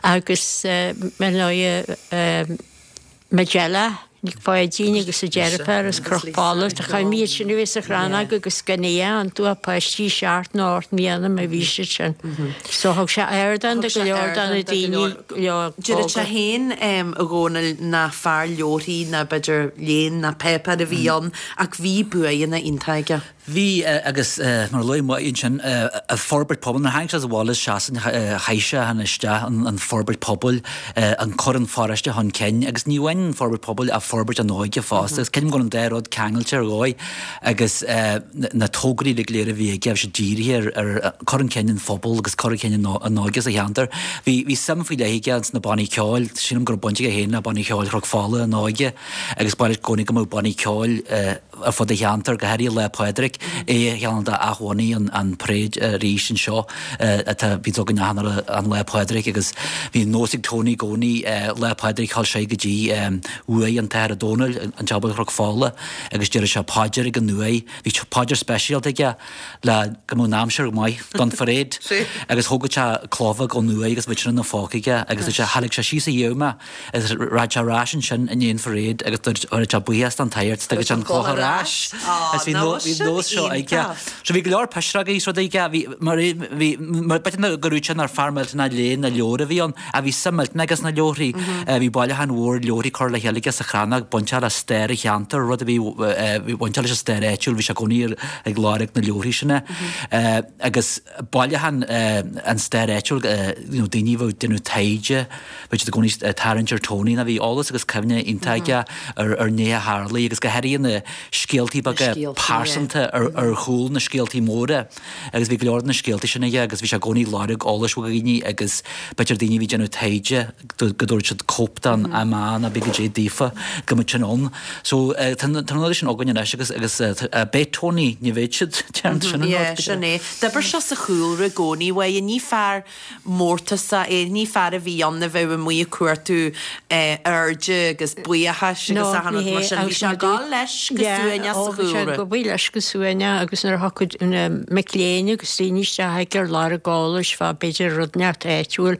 Agus ar ndóighe Majella Nic Pháidín agus a deirfiúr as Cnoc Fola. Tá cuimhne iad sin a bhí sa Chrannóg agus gan é iontu ach páistí seacht nó ocht mbliana má bhí siad sin. So thug sé ardán do go leor de na daoine óga. Deireadh sé féin a Dhónaill nach fear leabharthaí ná b'fhéidir léinn ná páipéar a bhí ann ach bhí buanna iontacha aige. Bhí, agus mar a luaigh Máire ansin, an forbairt pobail, nuair a tháinig sé abhaile as Sasain chaith sé isteach an forbairt pobail, an cur an pharóiste chun cinn agus ní amháin an forbairt pobail ach forbairt an óige fosta agus creidim go bhfuil an dá rud ceangailte ar dhóigh agus na tograí uilig go léir a bhí aige bhí siad dírithe ar cur chun cinn an phobail agus cur chun cinn an óige sa cheantar. Bhí bhí suim faoi leith aige ins na bannaí ceoil, sílim go raibh baint aige féin le banna ceoil Chnoc Fola ina óige agus ba mhaith leis i gcónaí go mbeadh bannaí ceoil ar fud an cheantair, go háirithe Lá Pádraig, é cheann de athbhunaigh an parade arís anseo atá bhíonns againn achan an Lá Pádraig agus bhí nós ag Tony i gcónaí Lá Pádraig ghabháil sé go dtí uaigh an tAthair Ó Dónaill an tSeabal Chnoc Fola agus deireadh sé paidir ag an uaigh. Bhí paidir speisialta aige le go mbeadh an aimsir maith don pharáid agus thógadh sé cloch bheag ón uaigh agus bhí sin ina phóca aige agus theilg sé síos a dhiaidh mé Agus rachadh sé ar ais ansin i ndiaidh an pharáid agus dúirt sé buíochas don tSagart is tugadh sé an chloch ar ais. Agus bhí bhí nós seo aige. So bhí go leor pisreogaí is rudaí aige. Bhí mar bhí mar b'fhéidir go raibh sé nár fear millteanach léinn na leabhar a bhí ann ach bhí suim millteanach aige sna leabharthaí. Bhí bailiúchán mhór leabharthaí curtha le chéile aige sa Chrannóg bainteach le stair an cheantair, rud a bhí bhí bainteach leis an stair áitiúil, bhí sé i gcónaí ag lorg na leabharthaí sin. Agus bailiúchán an stair áitiúil, you know daoine a bheadh ag déanamh taighde, Bhí siad i gcónaí ag tarraingt ar Tony nó bhí eolas agus cuimhne iontach aige ar nithe a tharlaigh agus go háirithe na scéaltaí beaga pearsanta ar chúl na scéaltaí móra agus bhí go leor de na scéaltaí sin aige agus bhí sé i gcónaí ag lorg eolais ó dhaoine agus b'fhéidir daoine a bhí ag déanamh taighde go dtabharfadh siad cóip den MA nó b'fhéidir goidé daofa go mbeadh sin ann. So tá na rudaí sin againn anois agus agus beidh Tony, ní bheidh siad, déarfainn sin an rud. Sin é. D'oibir sé sa chúlra i gcónaí uaidh, ní fear mórtasach é, ní fear a bhí ann a bheadh amuigh ag cuartú airde agus buíochais agus achan rud mar sin. Bhí sé ag gabháil leis go suaimhneach sa chúlra. Bhí sé ag gabháil leis go suaimhneach agus nuair a thiocfadh na mic léinn agus daoine isteach aige ar lorg eolais fá b'fhéidir rud inteacht áitiúil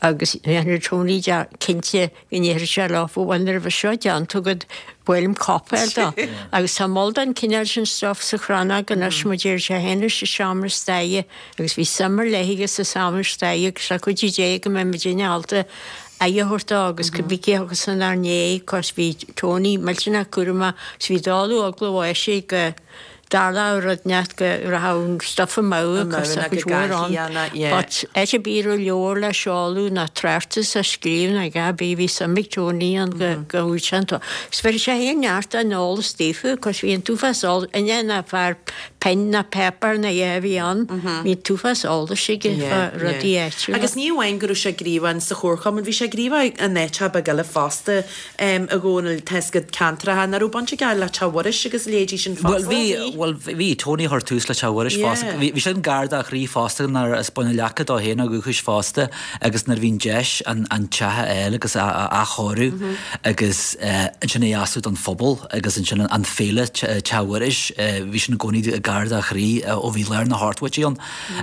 agus dhéanfadh Tony cinnte go ndéarfadh sé leofa bhuel nuair a bheas seo déanta agat ba mhaith liom cóip a fháil dó. Agus tá moll den chineál sin stuff sa Chrannóg anois mar deir sé féin leis an seomra staire agus bhí suim ar leith aige sa seomra staire agus le cuidiú Dé go mbeidh muidinne ábalta aghaidh a thabhairt dó agus cibé cé a thiocfas inár ndiaidh 'cause bhí Tony millteanach cúramach agus bhí dáileadh eagla bháis go. Tharlódh rud inteacht go rachadh an stuif amú agus a chuid mhór ann. But áit ar bith a raibh leabhar le seoladh ná tráchtas á scríobh ná a dhath ar bith bhí suim ag Tony ann go go bhfuil sé an Agus bheir sé féin neart den eolas daofa cos bhí an t-uafás eolais inné ná fear pinn ná páipéar ná a dhath a bhí ann bhí an t-uafás eolais aige fá rudaí áitiúla. Agus ní amháin go raibh sé gníomhach sa chomharchumann, bhí sé gníomhach in áiteacha beaga eile fosta. A Dhónaill, tá 'fhios agat ceantracha nach raibh baint aige le Teach Mhuiris agus a leithéidí sin fosta. Bhuel bhí, bhuel bhí, Tony a chuir tús le Teach Mhuiris fosta. Bhí sin gar dá chroí fosta nuair as Bun an Leaca dó féin ó dhúchas fosta agus nuair a bhí an deis an an teach a fháil agus a a athchóiriú agus ansin é a oscailt don phobal agus ansin an féile Teach Mhuiris, bhí sin i gcónaí gar dá chroí ó bhí lár na hochtóidí ann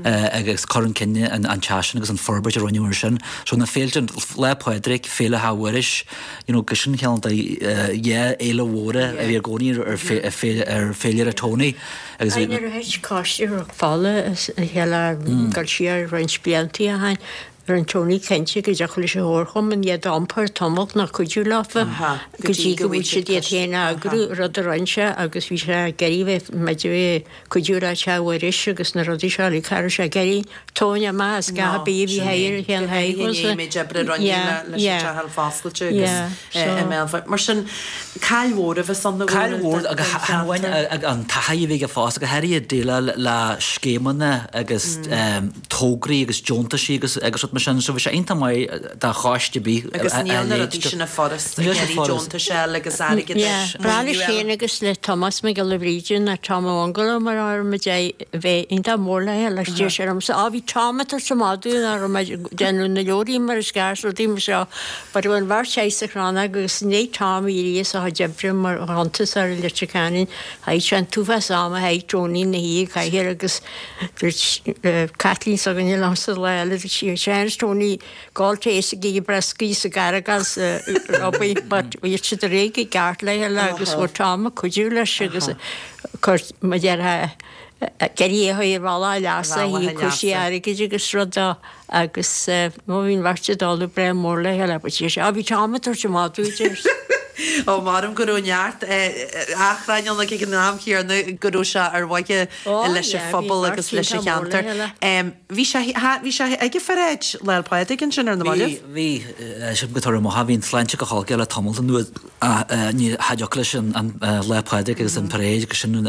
agus cur chun cinn an teach sin agus an forbairt a rinneadh air sin. So na féilte, Lá Pádraig, Féile Theach Mhuiris, you know, go sin ceann de dhá fhéile mhóra a bhí i gcónaí ar féilire Tony agus bhí. Nuair a thit Coiste Chnoc Fola as a chéile dul siar roinnt blianta ó shin, rinne Tony cinnte go dtiocfadh leis an Chomharchumann iad a iompar tamall nó cuidiú leofa go dtí go bhfuil siad iad féin a eagrú, rud a rinne sé agus bhí sé ag iarraidh bheith muid a bheith cuidiú le Teach Mhuiris agus na rudaí seo uilig, cha raibh sé ag iarraidh tóin amach as gach ar bith a bhí thiar a chéann Go háirithe i ndiaidh méid oibre a rinneadh leis an teach a fháil foscailte agus i mBéal Feirste. Mar sin, caill mhór a bheas ann a Caill mhór agus chan amháin an taithí a bhí aige fosta, go háirithe déileáil le scéimeanna agus tograí agus deontaisí agus agus rud mar sin. So bhí sé iontach maith do choiste ar bith a Agus níl na rudaí sin furast ag iarraidh deontais a fháil agus airgead a Yeah, breá leis féin agus le Tomás Mac Giolla Bhríde nó Tom an Bhungalow mar a raibh muid a bheith iontach mór le leis deir sé liomsa, Á bhí Tom ag tabhairt an mhadaidh nach raibh mé ag déanamh na leoraí mar is ceart rudaí mar seo but bhí an bheirt thíos sa chrannóg agus i ndiaidh Tom éirí as a chuid oibre mar chuntasóir i Leitir Ceanainn chaith sé an t-uafás ama chaith Tony ina shuí i gcathaoir agus Dúirt Caitlín s'againne liomsa lá eile, dúirt sí, Seans Tony, gabháil téis ag ithe brioscaí sa gcarragán sa Robbie, but bhí siad ar éag i gceart le chéile agus bhí Tom ag cuidiú leis agus cur mar déarfá ag iarraidh é a chur ar bhealach leasa, a cúrsaí airgid agus rud dó agus má bhíonn bheirt ag dul breá mór le chéile, but sé, á bhí Tom ag tabhairt an mhadaidh, deir. Ó, maram go raibh neart achrainn ann ag an am chéanna go raibh sé ar mhaithe leis an phobal agus leis an cheantar. Bhí sé, bhí sé ag an pharáid Lá 'le Pádraig ansin ar na mallaibh? Bhí, bhí, sílim go toradh maith, bhí an tsláinte go holc aige le tamall anuas ach ní cha dtiocfadh leis an Lá Pádraig agus an paráid agus sin,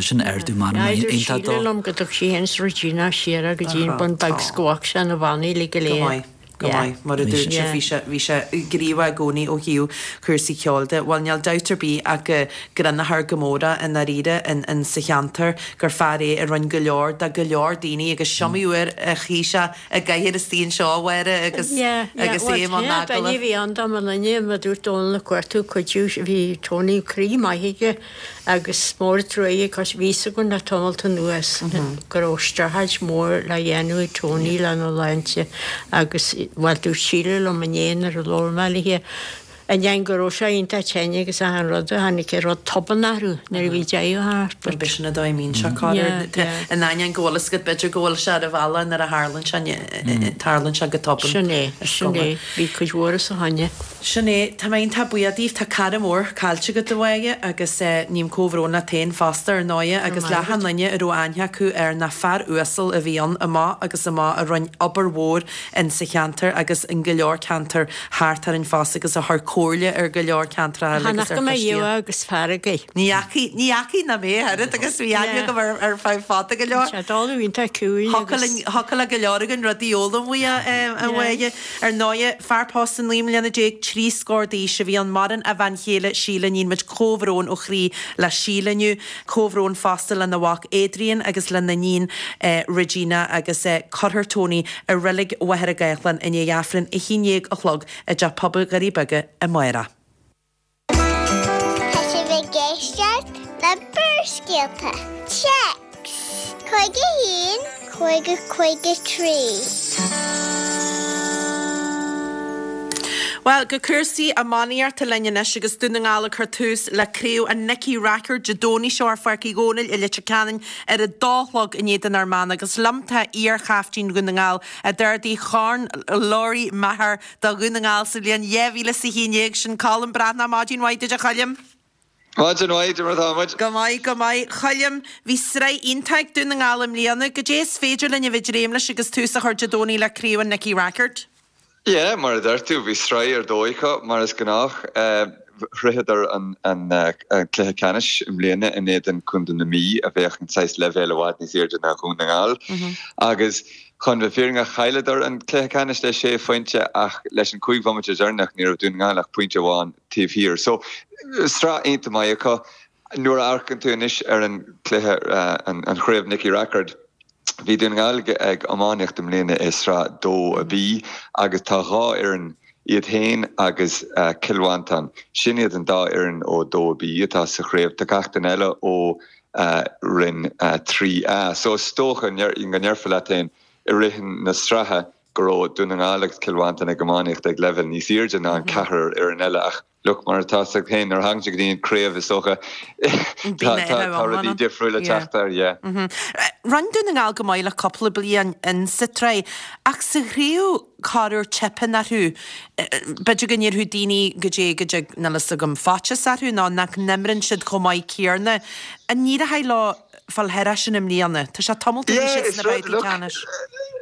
sin ardú meanma iontach dó. Dúirt Síle liom go dtug sí féin is Regina siar go dtí an Bun Beag 's go bhfaca sé na bannaí uilig go léir. Go maith. Go maith. Mar a dúirt sibh, bhí sé, bhí sé gníomhach i gcónaí ó thaobh cúrsaí ceoil de. Bhuel, níl dabht ar bith ach go gcronófar go mór é i ndáiríre in, in sa cheantar, gur fear é a rinne go leor do go leor daoine agus is iomaí uair a shuigh sé i gcathaoir istigh anseo, a Mháire, agus, Yeah, yeah. agus é i mbun Bhuel, duine agallamh. a bhí ann dá mba duine, mar a dúirt Dónal Ó Cuartú, cuidiú, bhí Tony croí maith aige. Agus mór an truaighe cos bhí 'fhios againn le tamalt anuas go raibh streachailt mhór le dhéanamh ag Tony lena shláinte agus, bhuel, dúirt Síle liom inné nuair a labhair mé léi inné go raibh sé iontach tinn agus achan rud a tháinig ar rud tobann orthu nuair a bhí deireadh thart but. B'shin an dóigh a mbíonn sé corruair. In ainneoin go bhfuil fhios agat b'fhéidir go bhfuil sé ar a bhealach nuair a tharlaíonn sé, tarlaíonn sé go tobann. Sin é, sin é, bhí cuid mhór os a choinne. Sin é. Tá mé iontach buíoch daoibh. Tá cara mór caillte agat, a Mháire, agus ním comhbhrón leat féin fosta, ar ndóighe, agus le achan duine a raibh aithne acu air ná fear uasal a bhí ann, amach agus amach, a rinn obair mhór in sa cheantar agus in go leor ceantar thart orainn fosta agus a chuir comhairle ar go leor ceantracha eile agus ar Chan fhaca mé choistí. riamh agus fearg air. Ní fhacaidh, ní fhacaidh ná mé a oiread agus bhí aithne agam air ar feadh fada go leor. Tá sé dála iontach ciúin agus. Thiocfadh le go leor againn rudaí a fhoghlaim uaidh, a Mháire. Ar ndóighe, fear pósta 19 mbliana 30 scór d'aois a bhí ann, maireann a bhean chéile Síle, Níonn muid comhbhrón ó chroí le Síle inniu, comhbhrón fosta lena mhac Adrian agus lena iníon Regina agus cuirfear Tony i Reilig Mhachaire Gathlán i ndiaidh Aifreann 11 a chlog i dTeach Pobail Dhoirí Beaga amárach. Tá sibh ag éisteacht le Barrscéalta. Téacs 51 50 53. Bhuel, go cúrsaí iománaíochta linn anois agus Dún na nGall ag cur tús le Craobh an Nicky Rackard Dé Domhnaigh seo ar Pháirc Uí Dhónaill i Leitir Ceanainn ar a dó a chlog i ndiaidh don uair meánach agus liom tá iar-chaiftín Dhún na nGall a d'ardaigh Corn Lory Meagher do Dhún na nGall sa bhliain 2011, sin Colm Breathnach. Maidin mhaith duit a Choilm. Maidin mhaith, cad é mar atá muid? Go maith, go maith. Choilm, bhí sraith iontach ag Dún na nGall i mbliana. Goidé is féidir linn a bheith ag dréim leis agus tús á chur Dé Domhnaigh le Craobh an Nicky Rackard? Yeah, mar a deir tú, bhí sraith ar dóigh acu, mar is gnách. Shroicheadar an cluiche ceannais i mbliana in éadan Contae na Mí, a bheadh an saghas leibhéal i bhfad níos airde ná Dhún na nGall. Agus chun bheith fírinneach, chailleadar an cluiche ceannais le sé phointe ach leis an chúig bhomaite deireanach ní raibh Dún na nGall ach pointe amháin taobh thiar. So, sraith iontach maith acu. Nuair a amharcann tú anois ar an cluiche, an chraobh Nicky Rackard, bhí Dún na nGall ag iománaíocht i mbliana i Sraith 2B agus tá dhá fhoireann, iad féin agus Cill Mhantáin, sin iad an dá fhoireann ó 2B atá sa chraobh. Tá gach duine eile ó Roinn 3A. So is dócha go ndéarfá leat féin i rith na sraithe go raibh Dún na nGall agus Cill Mhantáin ag iománaíocht ag leibhéal níos airde ná an ceathrar fhoireann eile ach look, mar atá 'fhios agat féin, nuair a thagann sé go dtí an craobh is dócha tá rudaí difriúla ag teacht air, yeah. Rinne Dún na nGall go maith le cúpla bliain in sa tsraith ach sa chraobh corruair teipeann orthu. B'fhéidir go ndéarfadh daoine goidé go dtig, níl fhios agam, faitíos orthu nó nach n-imríonn siad chomh maith céarna. An n-éireoidh leo fáil thairis sin i mbliana. Tá sé tamalt ó bhí siad sna babhtaí ceannais.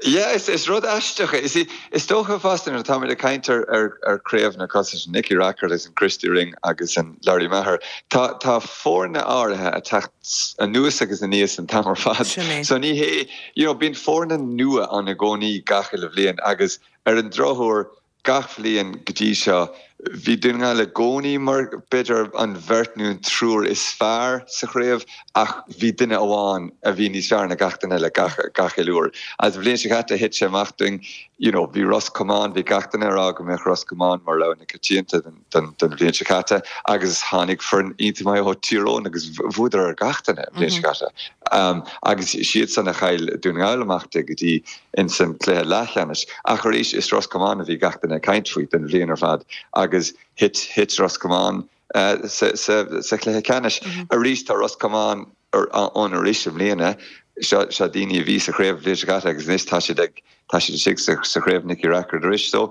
Yeah, is rud aisteach é. Is is dócha fosta nuair atáimid ag caint ar ar ar craobhanna cosúil leis Nicky Rackard agus an Christy Ring agus an Lory Meagher, tá tá foirne áirithe ag teacht anuas agus aníos an t-am ar fad. Sin é. So ní hé, you know, bíonn foirne nua ann i gcónaí gach uile bhliain agus ar an drochuair Gach bhliain go dtí seo, bhí Dún na nGall i gcónaí mar, b'fhéidir, an bheirt nó an triúr is fearr sa chraobh ach bhí duine amháin a bhí níos fearr ná gach duine eile gach, gach uile uair. Agus an bhliain seo caite, thit sé amach dúinn, you know, bhí Ros Comáin, bhí gach duine ag rá go mbeadh Ros Comáin mar rogha na coitianta don, don, don bhliain seo caite agus tháinig foireann iontach maith ó Thír Eoghain agus bhuadar ar gach duine an bhliain seo caite. Agus siadsan a chaill Dún na nGall amach de go dtí ins an cluiche leathcheannais. Ach arís, is Ros Comáin a bhí gach duine ag caint faoi don bhliain ar fad agus thit, thit Ros Comáin sa, sa, sa chluiche ceannais. Arís, tá Ros Comáin ann arís i mbliana. Seo, seo daoine a bhí sa chraobh an bhliain seo caite agus anois tá siad ag, tá siad istigh sa, sa chraobh Nicky Rackard arís. So,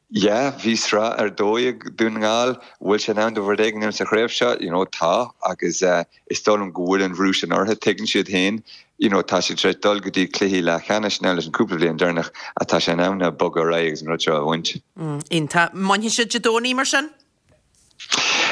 yeah, bhí sraith ar dóigh ag Dún na nGall. Bhfuil sé in am dóibh rud éigin a dhéanamh sa chraobh seo? You know, tá agus eh, Is dóigh liom go bhfuil an bhrú sin orthu, tuigeann siad féin, you know, tá siad tar éis dul go dtí cluichí leathcheannais now leis an cúpla bhliain deireanach ach tá sé in am now bogadh ar aghaidh agus an rud seo a bhaint. Iontach. Mbainfidh siad Dé Domhnaigh mar sin?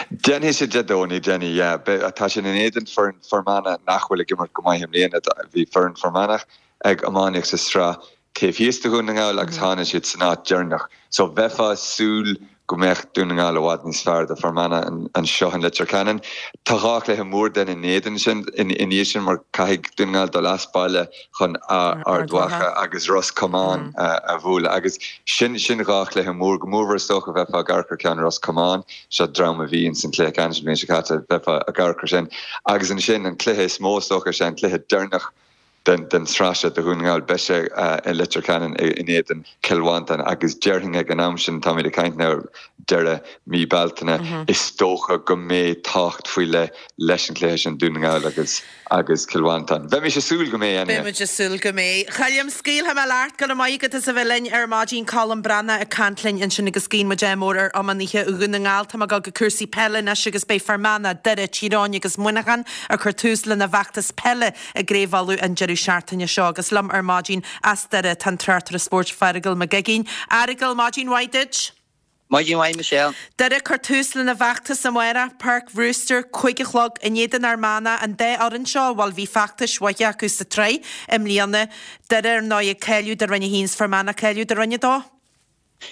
Déanfaidh siad Dé Domhnaigh, déanfaidh, yeah. Beidh, tá siad in éadan foireann Fear Manach nach bhfuil ag imirt go maith i mbliana. Bhí foireann Fear Manach ag iománaíocht sa sraith taobh thíos de Dhún na nGall agus tháinig siad san áit deireanach. So bheifeá ag súil go mbeadh Dún na nGall i bhfad níos fearr do Fear Manach anseo in Leitir Ceanainn. Tá dhá chluiche mór then in éadan sin, ina dhiaidh sin mar caithfidh Dún na nGall dul as baile chun Ard Mhacha agus Ros Comáin a bhualadh agus sin sin dhá chluiche mór, go mórmhór is dócha bheifeá ag amharc ar ceann Ros Comáin, seo dream a bhí ins an cluiche ceannais an bhliain seo caite, bheifeá ag amharc ar sin. Agus ansin an cluiche is mó is dócha is ea an cluiche deireanach den tsraith seo do Dhún na nGall. Beidh sé i Leitir Ceanainn in éadan Chill Mhantáin agus déarfainn ag an am sin, táimid ag caint now deireadh mí Bealtaine, is dócha go mbeidh tábhacht faoi leith leis an chluiche sin, Dún na nGall agus agus Cill Mhantáin. Bheimis ag súil go mbeidh anyway. Beidh muid ag súil go mbeidh. Choilm, scaoilfidh mé leat, go raibh maith agat as a bheith linn ar maidin. Colm Breathnach ag caint linn ansin agus guíonn muid ádh mór ar iománaithe Dhún na nGall. Tá mé ag dul go cúrsaí peile anois agus beidh Fear Manach, Doire, Tír Eoghain agus Muineachán ag cur tús lena bhfeachtas peile i gCraobh Uladh an deireadh seachtaine seo agus liom ar maidin as Doire tá an tráchtaire spóirt Feargal Mac Uiginn. A Fheargail, maidin mhaith duit. Maidin mhaith Michelle. Doire ag cur tús lena bhfeachtas amárach, Páirc Bhrewster, 5 a chlog, in éadan Fhear Manach, an dá fhoireann seo, bhuel bhí feachtais mhaithe acu sa tsraith i mbliana. Doire ar ndóigh ag cáiliú do Roinn 1 's Fear Manach ag cáiliú do Roinn 2.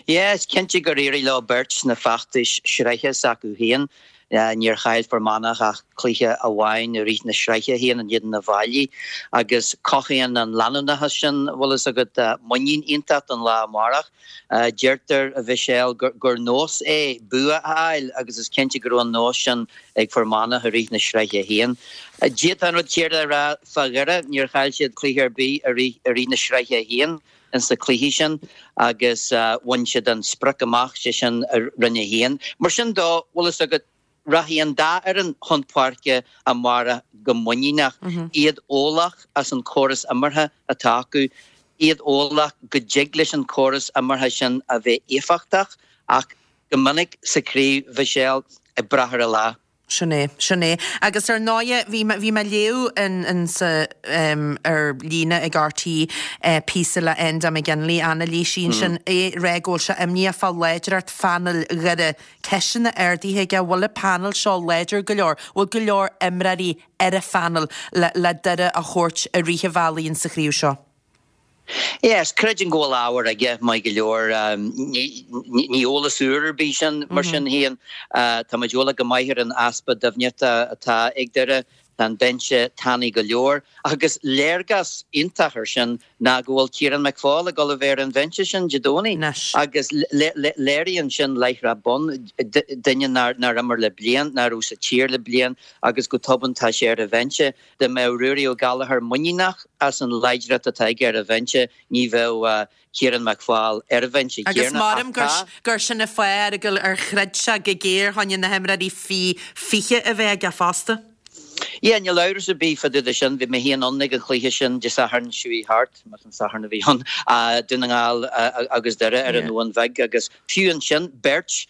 Yeah, is cinnte gur éirigh leo beirt sna feachtais sraithe s'acu féin. Níor chaill Fear Manach ach cluiche amháin i rith na sraithe féin in éadan Uíbh Fhailí agus cothaíonn an leanúnachas sin, bhfuil fhios agat, muinín iontach don lá amárach. Deirtear, a Mhichelle, gur nós é bua a fháil agus is cinnte go raibh an nós sin ag Fear Manach i rith na sraithe féin. D'fhéadfá an rud céanna a rá fá Dhoire, níor chaill siad cluiche ar bith i rith na sraithe féin. ins na cluichí sin agus bhain siad an sprioc amach, sé sin Roinn 1. Mar sin dó, bhfuil fhios agat, rachaidh an dá fhoireann chun páirce amárach go muiníneach, iad eolach as an córas imeartha atá acu, iad eolach go dtig leis an córas imeartha sin a bheith éifeachtach ach go minic sa chraobh, Mhichelle, ag brath ar an lá. Sin é, sin é. Agus ar ndóighe, bhí mé, bhí mé ag léamh in, in sa, em, ar líne ag RTÉ, píosa le Enda McGinley, anailísí ansin, é ag rá go bhfuil sé imníoch fá láidreacht phainéal Dhoire. Ceisteanna ardaithe aige, bhfuil an painéal seo láidir go leor? Bhfuil go leor imreoirí ar an phainéal le, le Doire a thabhairt i rith an bhealaigh in sa chraobh seo? Yes, creidim go bhfuil ábhar aige, maith go leor. Ní eolas úr ar bith sin, mar sin féin. Tá muid eolach go maith ar an easpa doimhneachta atá ag Doire. Tá an binse tanaí go leor. Agus léargas iontach ar sin ná go bhfuil Ciarán McFaul ag dul a bheith ar an bhinse sin Dé Domhnaigh. Agus léiríonn sin láithreach bonn, duine nár imir le bliain, ná raibh sa tír le bliain agus go tobann tá sé ar an bhinse. Dá mbeadh Ruairí Ó Gallchóir muiníneach as an láidreacht atá aige ar an bhinse, ní bheadh Ciarán McFaul ar an bhinse Agus céanna. Ach maram tá. gur sin an fáth ar ar throid sé go géar fá choinne na himreoirí faoi 20 a bheith aige fosta. Yeah, níl amhras ar bith fá dtaobh de sin. Bhí mé féin ann ag an chluiche sin Dé Sathairn seo chuaigh thart, más an Satharn a bhí ann, Dún na nGall agus Doire ar an Abhainn Bheag agus fiú ansin, beirt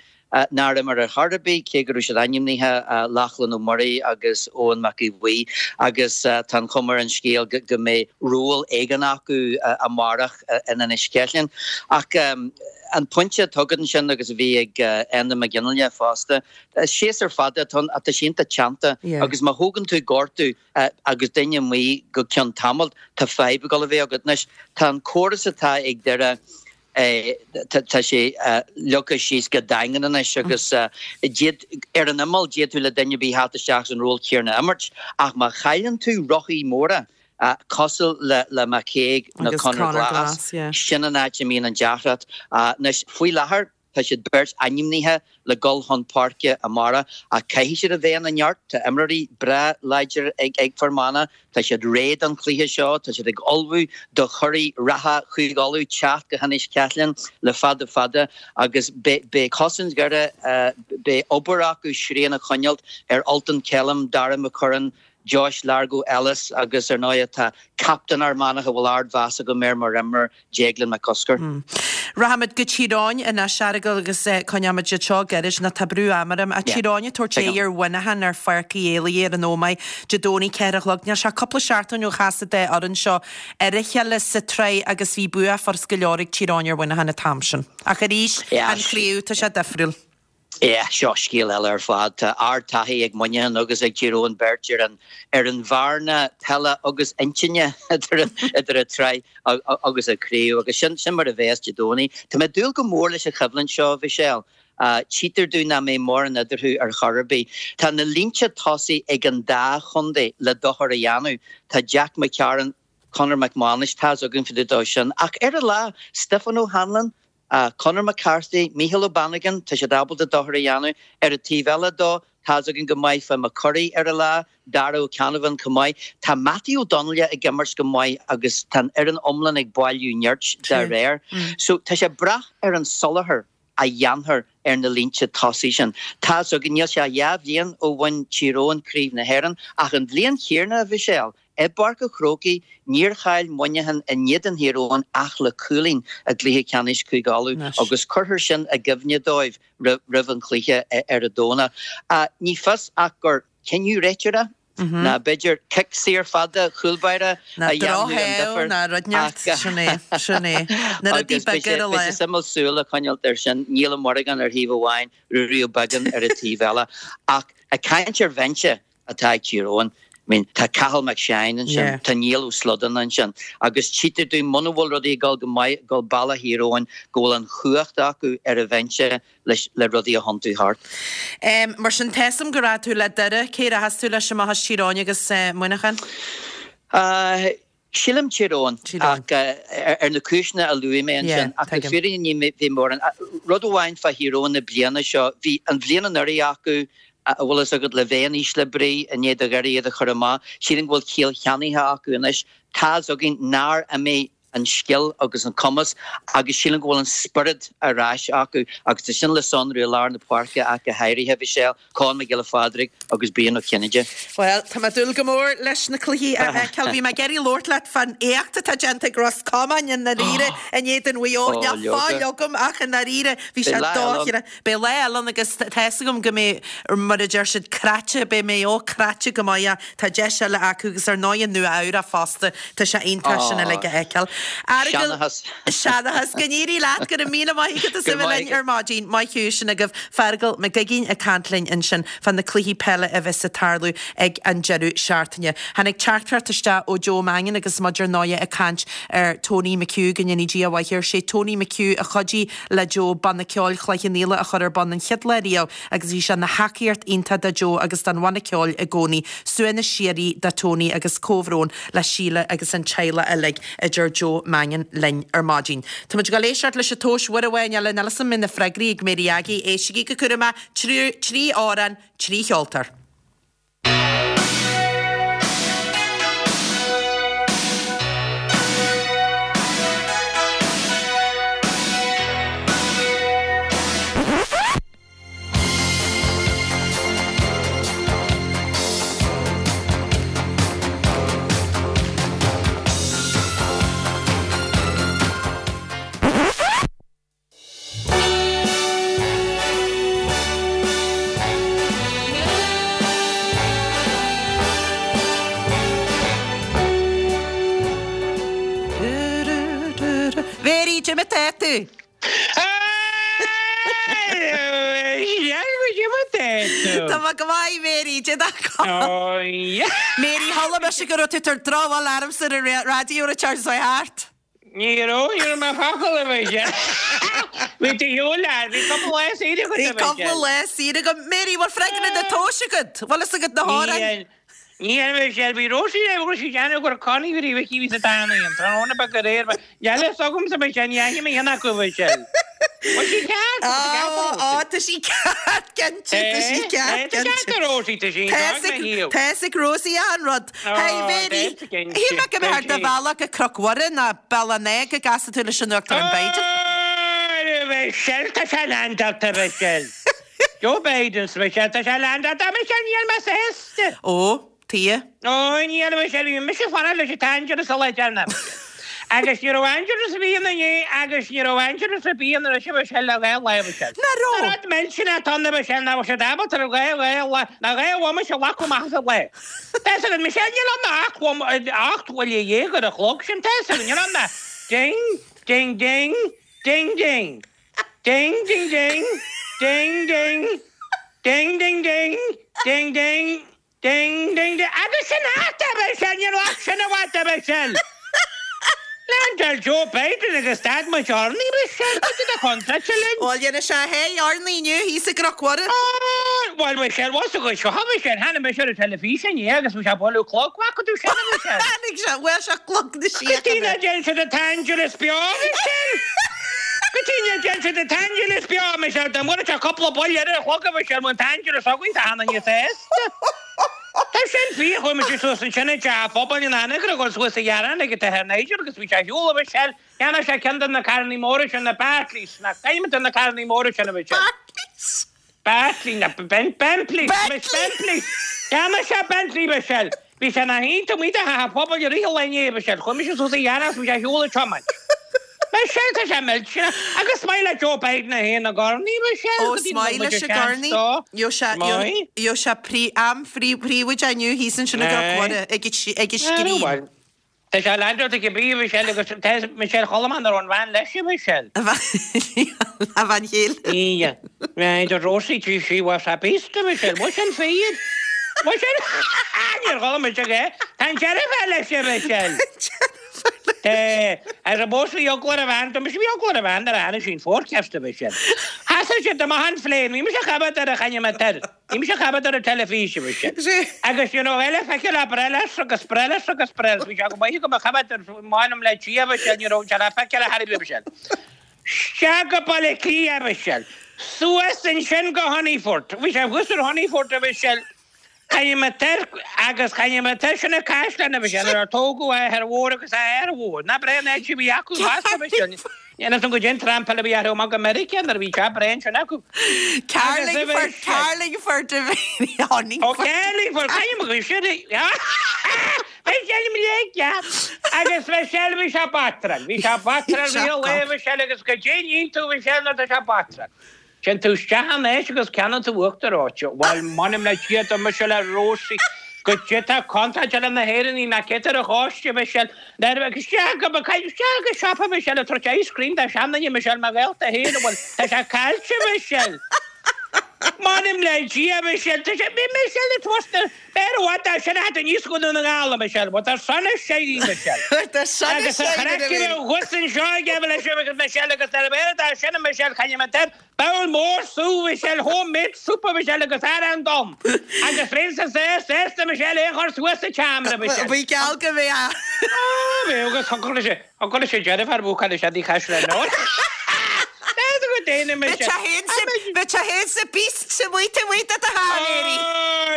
nár imir ar chor ar bith, cé go raibh siad ainmnithe, Lachlan Ó Muirí agus Eoin Mac Aodha Bhuí, agus tá an chuma ar an scéal go mbeidh ról éigin acu amárach in Inis Ceithleann. Ach an pointe atá agat ansin agus a bhí ag Enda McGinley fosta, séasúr fada atá ann ach tá sé iontach teannta agus má thógann tú gortú agus duine amuigh go ceann tamaill, tá fadhb ag dul a bheith agat. Anois, tá an córas atá ag Doire, Tá sé leagtha síos go daingean anois agus ar an imeall d'fhéadfadh le duine ar bith theacht isteach san ról céanna a imirt ach má chailleann tú rothaí móra cosúil le McCague nó Conor Glass, sin an áit a mbíonn an deacracht. Anois, faoi láthair tá siad beirt ainmnithe le dul chun páirce amárach ach caithfidh siad a bheith ina neart. Tá imreoirí breá láidir ag Fear Manach, tá siad réidh don chluiche seo, tá siad ag ullmhú do churaidh reatha Chúige Uladh teacht go hInis Ceithleann le fada fada agus beidh cosaint Dhoire, beidh obair acu srian a choinneáilt ar Ultan Kelm, Darragh McCurran, Josh Largo Ellis agus ar ndóigh tá captaen Fhear Manach a bhfuil ardmheas agam air mar imreoir, Deaglán Mac Cosgair. Rachaimid go Tír Eoghain anois, a Fheargail, agus coinneoimid iad seo gairid nó tá brú ama orm. Tír Eoghain ag tabhairt aghaidh ar Mhuineachán ar Pháirc Uí Éalaithe ar an Ómaigh Dé Domhnaigh 4 a chlog. Níl sé ach cúpla seachtain ó chas an dá fhoireann seo ar a chéile sa tsraith agus bhí bua furast go leor ag Tír Eoghain ar Mhuineachán an t-am sin. Ach arís, an chraobh, tá sé difriúil. Yeah, seo scéal eile ar fad. Tá ard-taithí ag Muineachán agus ag Tír Eoghain beirt ar an ar an bhearna peile agus intinne idir idir an tsraith agus an chraobh agus sin sin mar a bheas Dé Domhnaigh. Tá mé ag dúil go mór leis an choimhlint seo, a Mhichelle. Tchítear domh nach mbeidh mórán eadarthu ar chor ar bith. Tá na línte tosaigh ag an dá chontae le dochar a dhéanamh. Tá Jack McCarron, Conor McManus, tá's againn fá dtaobh dó sin. Ach ar a lá, Stiofán O'Hanlon, Conor McCarthy, Mícheál Ó Bannagáin, tá siad ábalta dochar a dhéanamh. Ar an taobh eile dó, tá's againn go maith fá McCurry ar a lá, Darragh Ó Ceannabháin chomh maith. Tá Mattie Ó Donnaile ag imirt go maith agus tá an fhoireann iomlán ag bailiú nirt dá réir. So tá sé ag brath ar an soláthar a dhéanfar ar na línte tosaigh sin. Tá's againn, níl sé ach dhá bhliain ó bhain Tír Eoghain Craobh na hÉireann ach an bhliain chéanna, a Mhichelle, I bPáirc an Chrócaigh, níor chaill Muineachán in éadan Thír Eoghain ach le cúilín i gcluiche ceannais Chúige Uladh agus cuirfear sin i gcuimhne dóibh roimh an chluiche ar an Domhnach. Ní fios ach gur cinneadh réiteora ná b'fhéidir cic saor fada chúl báire a dhéanfadh an difear agus beidh sé suimiúil súil a choinneáilt air sin. Niall Ó Muireagáin ar thaobh amháin, Ruairí Ó Beagáin ar an taobh eile. Ach ag caint ar bhinse, atá ag Tír Eoghain. I mean, tá Cathal McShane ansin, tá Niall Ó Slodain ansin agus tchítear dúinn muna bhfuil rudaí ag dul go maith, ag dul bealach Thír Eoghain, go bhfuil an chumhacht acu ar an bhinse leis le rudaí a thiontú thart. Mar sin, tá's a'm go rachaidh tú le Doire. Cé rachas tú leis amach as Tír Eoghain agus Muineachán? Sílim Tír Eoghain, ach ar na cúiseanna a luaigh mé ansin. Ach le fírinne ní bheidh mórán. Rud amháin fá Thír Eoghain na bliana seo, bhí an bhliain anuraidh acu, a bhfuil fhios agat, le bheith in ísle brí i ndiaidh do Dhoire iad a chur amach. Sílim go bhfuil ciall cheannaithe acu anois. Tá's againn nár imigh. an scil agus an cumas agus sílim go bhfuil an spiorad ar ais acu agus tá sin le sonrú i lár na páirce ach go háirithe, Michelle, Conn Mac Giolla Phádraig agus Brian Ó Cinnéide. Bhuel, tá mé ag dúil go mór leis na cluichí a fheiceáil. Bhí mé ag iarraidh labhairt leat fán éacht atá déanta ag Ros Comáin i ndáiríre in éadan Mhaigh Eo. Níl fáil agam ach i ndáiríre bhí sé dochreidte. Beidh lá eile ann agus tá fhios agam go mbeidh, mar a deir siad, cráite, beidh Maigh Eo cráite go maith ach tá deis eile acu agus ar ndóigh Nua Eabhrac fosta, tá sé iontach sin uilig a fheiceáil. Seanachas. Seanachas. Go n-éirí leat, go raibh míle maith agat as a bheith linn ar maidin. Maith thú, sin agaibh Feargal Mac Uiginn ag caint linn ansin fá na cluichí peile a bheas ag tarlú ag an deireadh seachtaine. Tháinig teachtaireacht isteach ó Joe Mangan agus muid ar ndóigh ag caint ar Tony McHugh, go ndéanaí Dia a mhaith air. Sé Tony McHugh a chuidigh le Joe Banna Ceoil Chloich Cheann Fhaola a chur ar bun an chéad lá riamh agus bhí sé ina thacaíocht iontach do Joe agus don bhanna ceoil i gcónaí. Suaimhneas síoraí do Tony agus comhbhrón le Síle agus an teaghlach uilig, a deir Joe Mangan linn ar maidin. Tá muid ag dul éisteacht leis an tomhas uair amháin eile, níl 'fhios a'm an mbeidh na freagraí ag Mary Aggie, éistigí go cúramach, 3 amhrán, 3 cheoltóir. Mary, cad é mar atá tú? Tá mé go maith, Mary, cad é Mary, chuala mise go raibh tú ag tabhairt drochbhail ormsa ar an raidió an tseachtain seo thart. Ní raibh, ní raibh mé focal a bheith sé. Bhí tú shiúl leat, bhí cúpla lá saoire agat Bhí cúpla lá saoire agam. Mary, bhfuil freagra na tomhais agat? Bhfuil fhios agat na hamhráin? Ní hea, Michelle, bhí Róisín ag bhfuil sí ag déanamh gur Connie bhí Mhicí bhí sa dána an tráthnóna beag aréir ba Níl fhios agamsa Michelle, ní fhaigheann mé aon acu Michelle. Bhfuil sí ceart? Tá sí ceart a Róisín. Á, tá sí ceart, cinnte, tá sí ceart, Tá sí ceart a Róisín, tá sí Tá tá fhios ag Rosie achan rud. Hey, Mary, shíl mé go mbeifeá ar do bhealach go Cnoc Mhuire nó Bealach an Átha go gcasfaidh tú leis an Uachtarán Biden. Michelle, tá sé leaindeáilte Michelle. Joe Biden, Michelle, tá sé leaindeáilte Michelle, níl mé sásta. Ó, tuige? Ó, níl Michelle, bhí mise ag fanacht leis an t-aingearas a leid ann. Agus ní raibh aingearas ar bith ann inné agus ní raibh aingearas ar bith ann anois a Mhichelle le dhá lá Michelle. Nach raibh? An rud millteanach atá ann a Mhichelle nach bhfuil siad ábalta ar dhá dhá lá, ná dhá bhomaite a ghlacadh amach as an lá. Tá fhios agat Michelle, níl ann ach 18 bhuille ar an chlog sin, tá fhios agat, níl ann ach ding, ding, ding, ding, ding. Ding ding ding ding ding ding ding ding ding ding ding ding ding agus sin thart a Mhichelle, níl ach sin i bhfad a Mhichelle. Leaindeáil Joe Biden agus stad muid urnaí Michelle, cad é do chontráilte linn? Bhuel, dhéanfaidh sé a sháith urnaí inniu thíos i gCnoc Mhuire. Bhuel Michelle, bhfuil fhios agat seo a Mhichelle, tháinig mise ar an teilifís inné agus bhí sé ag bualadh clog, bhfaca tú sin a Mhichelle? Tháinig sé, bhuail sé clog na Go dtí síochána. nach dtéann siad an t-aingealas beo, Michelle! Go dtí nach dtéann siad an t-aingealas beo, Michelle! Dá mbuailfeadh sé cúpla buille ar an chlog, a Mhichelle, bheadh an t-aingealas againn, tá cheana níos aosta. Tá sin fíor, chuaigh mise suas ansin ag teach an phobail in Anagaire a dhul suas a ghearán ag an tAthair Nigel agus bhí sé ar shiúl, a Mhichelle. Cheannaigh sé ceann de na carrannaí móra sin, na Bartleys, nach gcaithfidh de na carrannaí móra sin, a Mhichelle. Bartleys? Bartley, na Bentleys, Bentley! Bentley! Cheannaigh sé Bentley, Michelle. Bhí sé ina shuí taobh amuigh de theach an phobail i rith an lae inné, Michelle. Chuaigh mise suas a ghearán agus bhí sé ar shiúl ag tiomáint. Michelle, tá sé millteanach. Agus is maith le Joe Biden é féin ag urnaí, Michelle. Ó, is maith leis ag urnaí. Gheobhaidh sé, gheobhaidh sé trí am phríobháideach inniu thíos ansin i gCnoc Mhuire ag an scrín. Tá sé leaindeáilte ag bí, a Mhichelle, agus tá Michelle Cholmán ar an bhean leis, a Mhichelle. A bhean chéile. Ia. Bhí Rosie tí sí was a beast, a Mhichelle. Bhfuil sin fíor? Bhfuil sin? Níor chuala mise é. Tá an deirfiúr leis, a Mhichelle. Tá. Ar an bpós bhí eagla ar a bhean, mise bhí eagla ar a bhean nuair a tháinig sí an forecast, a Mhichelle. Sheasaigh siad amach an phlane, bhí mise ag coimeád ar an choinneometer. Bhí mise ag coimeád ar an teilifís, a Mhichelle. Agus you know eile feicthe le breithleas agus breithleas agus breithleas. Bhí sé go maith agam a choimeád ar m'anam le Dia, a Mhichelle, ní raibh sé le feiceáil ar chor ar bith, a Mhichelle. Isteach go Baile Átha Cliath, a Mhichelle. Suas ansin go Honeyfort. Bhí sé thuas ar Honeyfort, a Mhichelle. Caithfidh mé tar agus caithfidh mé tar sin a caisleán a Mhichelle ar tógadh a athair mhór agus a athair mhór. Ná breá an áit a bhí acu fosta Michelle. Níl fhios agam goidé an trampáil a bhí orthu amach go Meiriceá nuair a bhí teach breá ansin acu. Carlingford, Carlingford a bhí Ó Carlingford, caithfidh mé go sin Michelle mo léig Agus Michelle bhí sé batráil. Bhí sé batráil bhí a lae Michelle agus goidé a níonn tú Michelle nuair atá sé batráil. Téann tú isteach anois agus ceannaíonn tú uachtar reoite. Bhuel, m'anam le Dia dá mbeadh sé le Rósaí, goidé tá contráilte le na hÉireannaigh nach cé ar a choiste, Michelle, nuair a bheadh isteach go, isteach go siopa, Michelle, ag tabhairt ice cream do sheanduine, Michelle, mo ghaolta féin, bhuel, tá sé caillte, Michelle. M'anam le Dia, Michelle, tá sé, Michelle, ag tabhairt na, B'fhearr i bhfad dá sin a theacht aníos go Dún na nGall, a Michelle, bhuel tá sonas séirí, Michelle. Tá sonas Agus a séirí, chraiceann a bhus anseo aige leis agus Michelle agus ar bhfearr dá sin a Michelle chaithfidh mé tair bowl mór sú Michelle home made soup a Michelle agus arán donn agus bheinn sa sásta Michelle é a chur suas sa tseomra Michelle. Bhí geall go mbeadh. Á bheadh agus thiocfadh leis An gcuirfidh sé deirfiúr bhuacaill is ea Caisleán Nua? N'fheadar go déanfaidh mise. Bheadh sé féin sa Beast sa mhaith amuigh de do tháilléirí.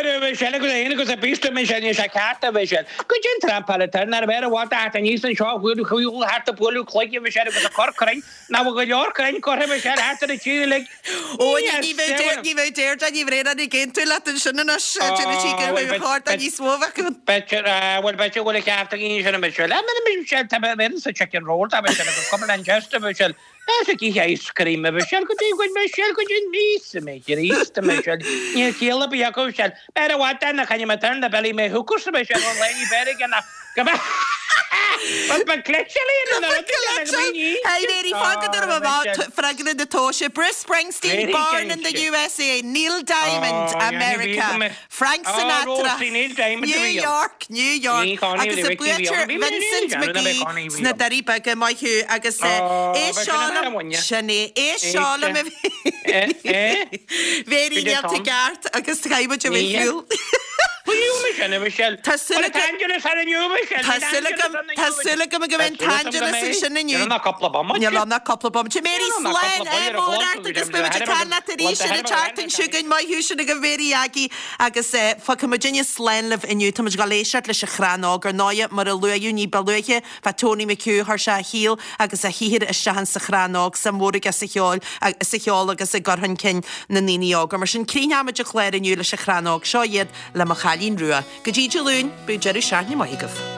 Ó, Michelle agus é féin agus a Beast a Michelle níl sé ceart a Mhichelle. Goidé an trampáil atá air nárbh fhearr i bhfad a theacht aníos anseo a bhualadh shiúl thart ag bualadh cloige Michelle agus ag cur crainn nach bhfuil go leor crainn curtha Michelle thart ar an tír uilig. Ó, ní bheadh ní bheadh Deirdre Ní Bhraonáin ag aontú leat ansin anois. Déarfaidh sí gur bheadh chóir do níos mó a bheith ann. B'fhéidir, bhuel b'fhéidir go bhfuil an ceart ag an sin Michelle. Ah, Michelle, tá mé ar sa chicken roll, tá Michelle agus cuma Lanchester Michelle. Tá ag ithe ice cream Michelle go dtí go Michelle go dtí míosa mé Chríost Michelle. Níl ciall ar bith acu Michelle. B'fhearr i bhfad dá chaithfidh mé turn the belly mé hookers Michelle ón lae ní b'fhearr aige ná go mbeadh Bhuel ba cleite léi na rudaí sin ag daoine. Hey Mary, fág go dtabharfaidh mé amach freagra na tomhaise. Bruce Springsteen, born in the USA, Neil Diamond, America, Frank Sinatra, New York, New York, agus an buaiteoir Vincent McGee sna Doirí Beaga, maith thú, agus é seo liom, sin é, é seo liom a Mary, níl tú ceart agus caithfidh muid a bheith fiúil. Tá súil agam, tá súil agam, tá súil agam go mbeidh an t-Angelus ansin inniu. Níl ann ach cúpla bomaite. Níl ann ach cúpla bomaite. Mary, slán, ádh mór ort agus beidh muid ag caint leat arís ar an tseachtain seo chugainn. Maith thú, sin agaibh Mary Aggie agus fágfaidh muidinne slán libh inniu. Tá muid ag dul éisteacht leis an Chrann Óg ar ndóighe, mar a luaíodh ní ba luaithe, fá Tony McHugh, chuir sé a shaol agus a shaothar isteach insa Chrann Óg, suim mhór aige sa cheol, sa cheol agus i gcur chun cinn na ndaoine óga. Mar sin, críochnóimid an clár inniu leis an Chrann Óg. Seo iad le Mo Chailín Rua. Go dtí Dé Luain, bíodh deireadh seachtaine maith agaibh.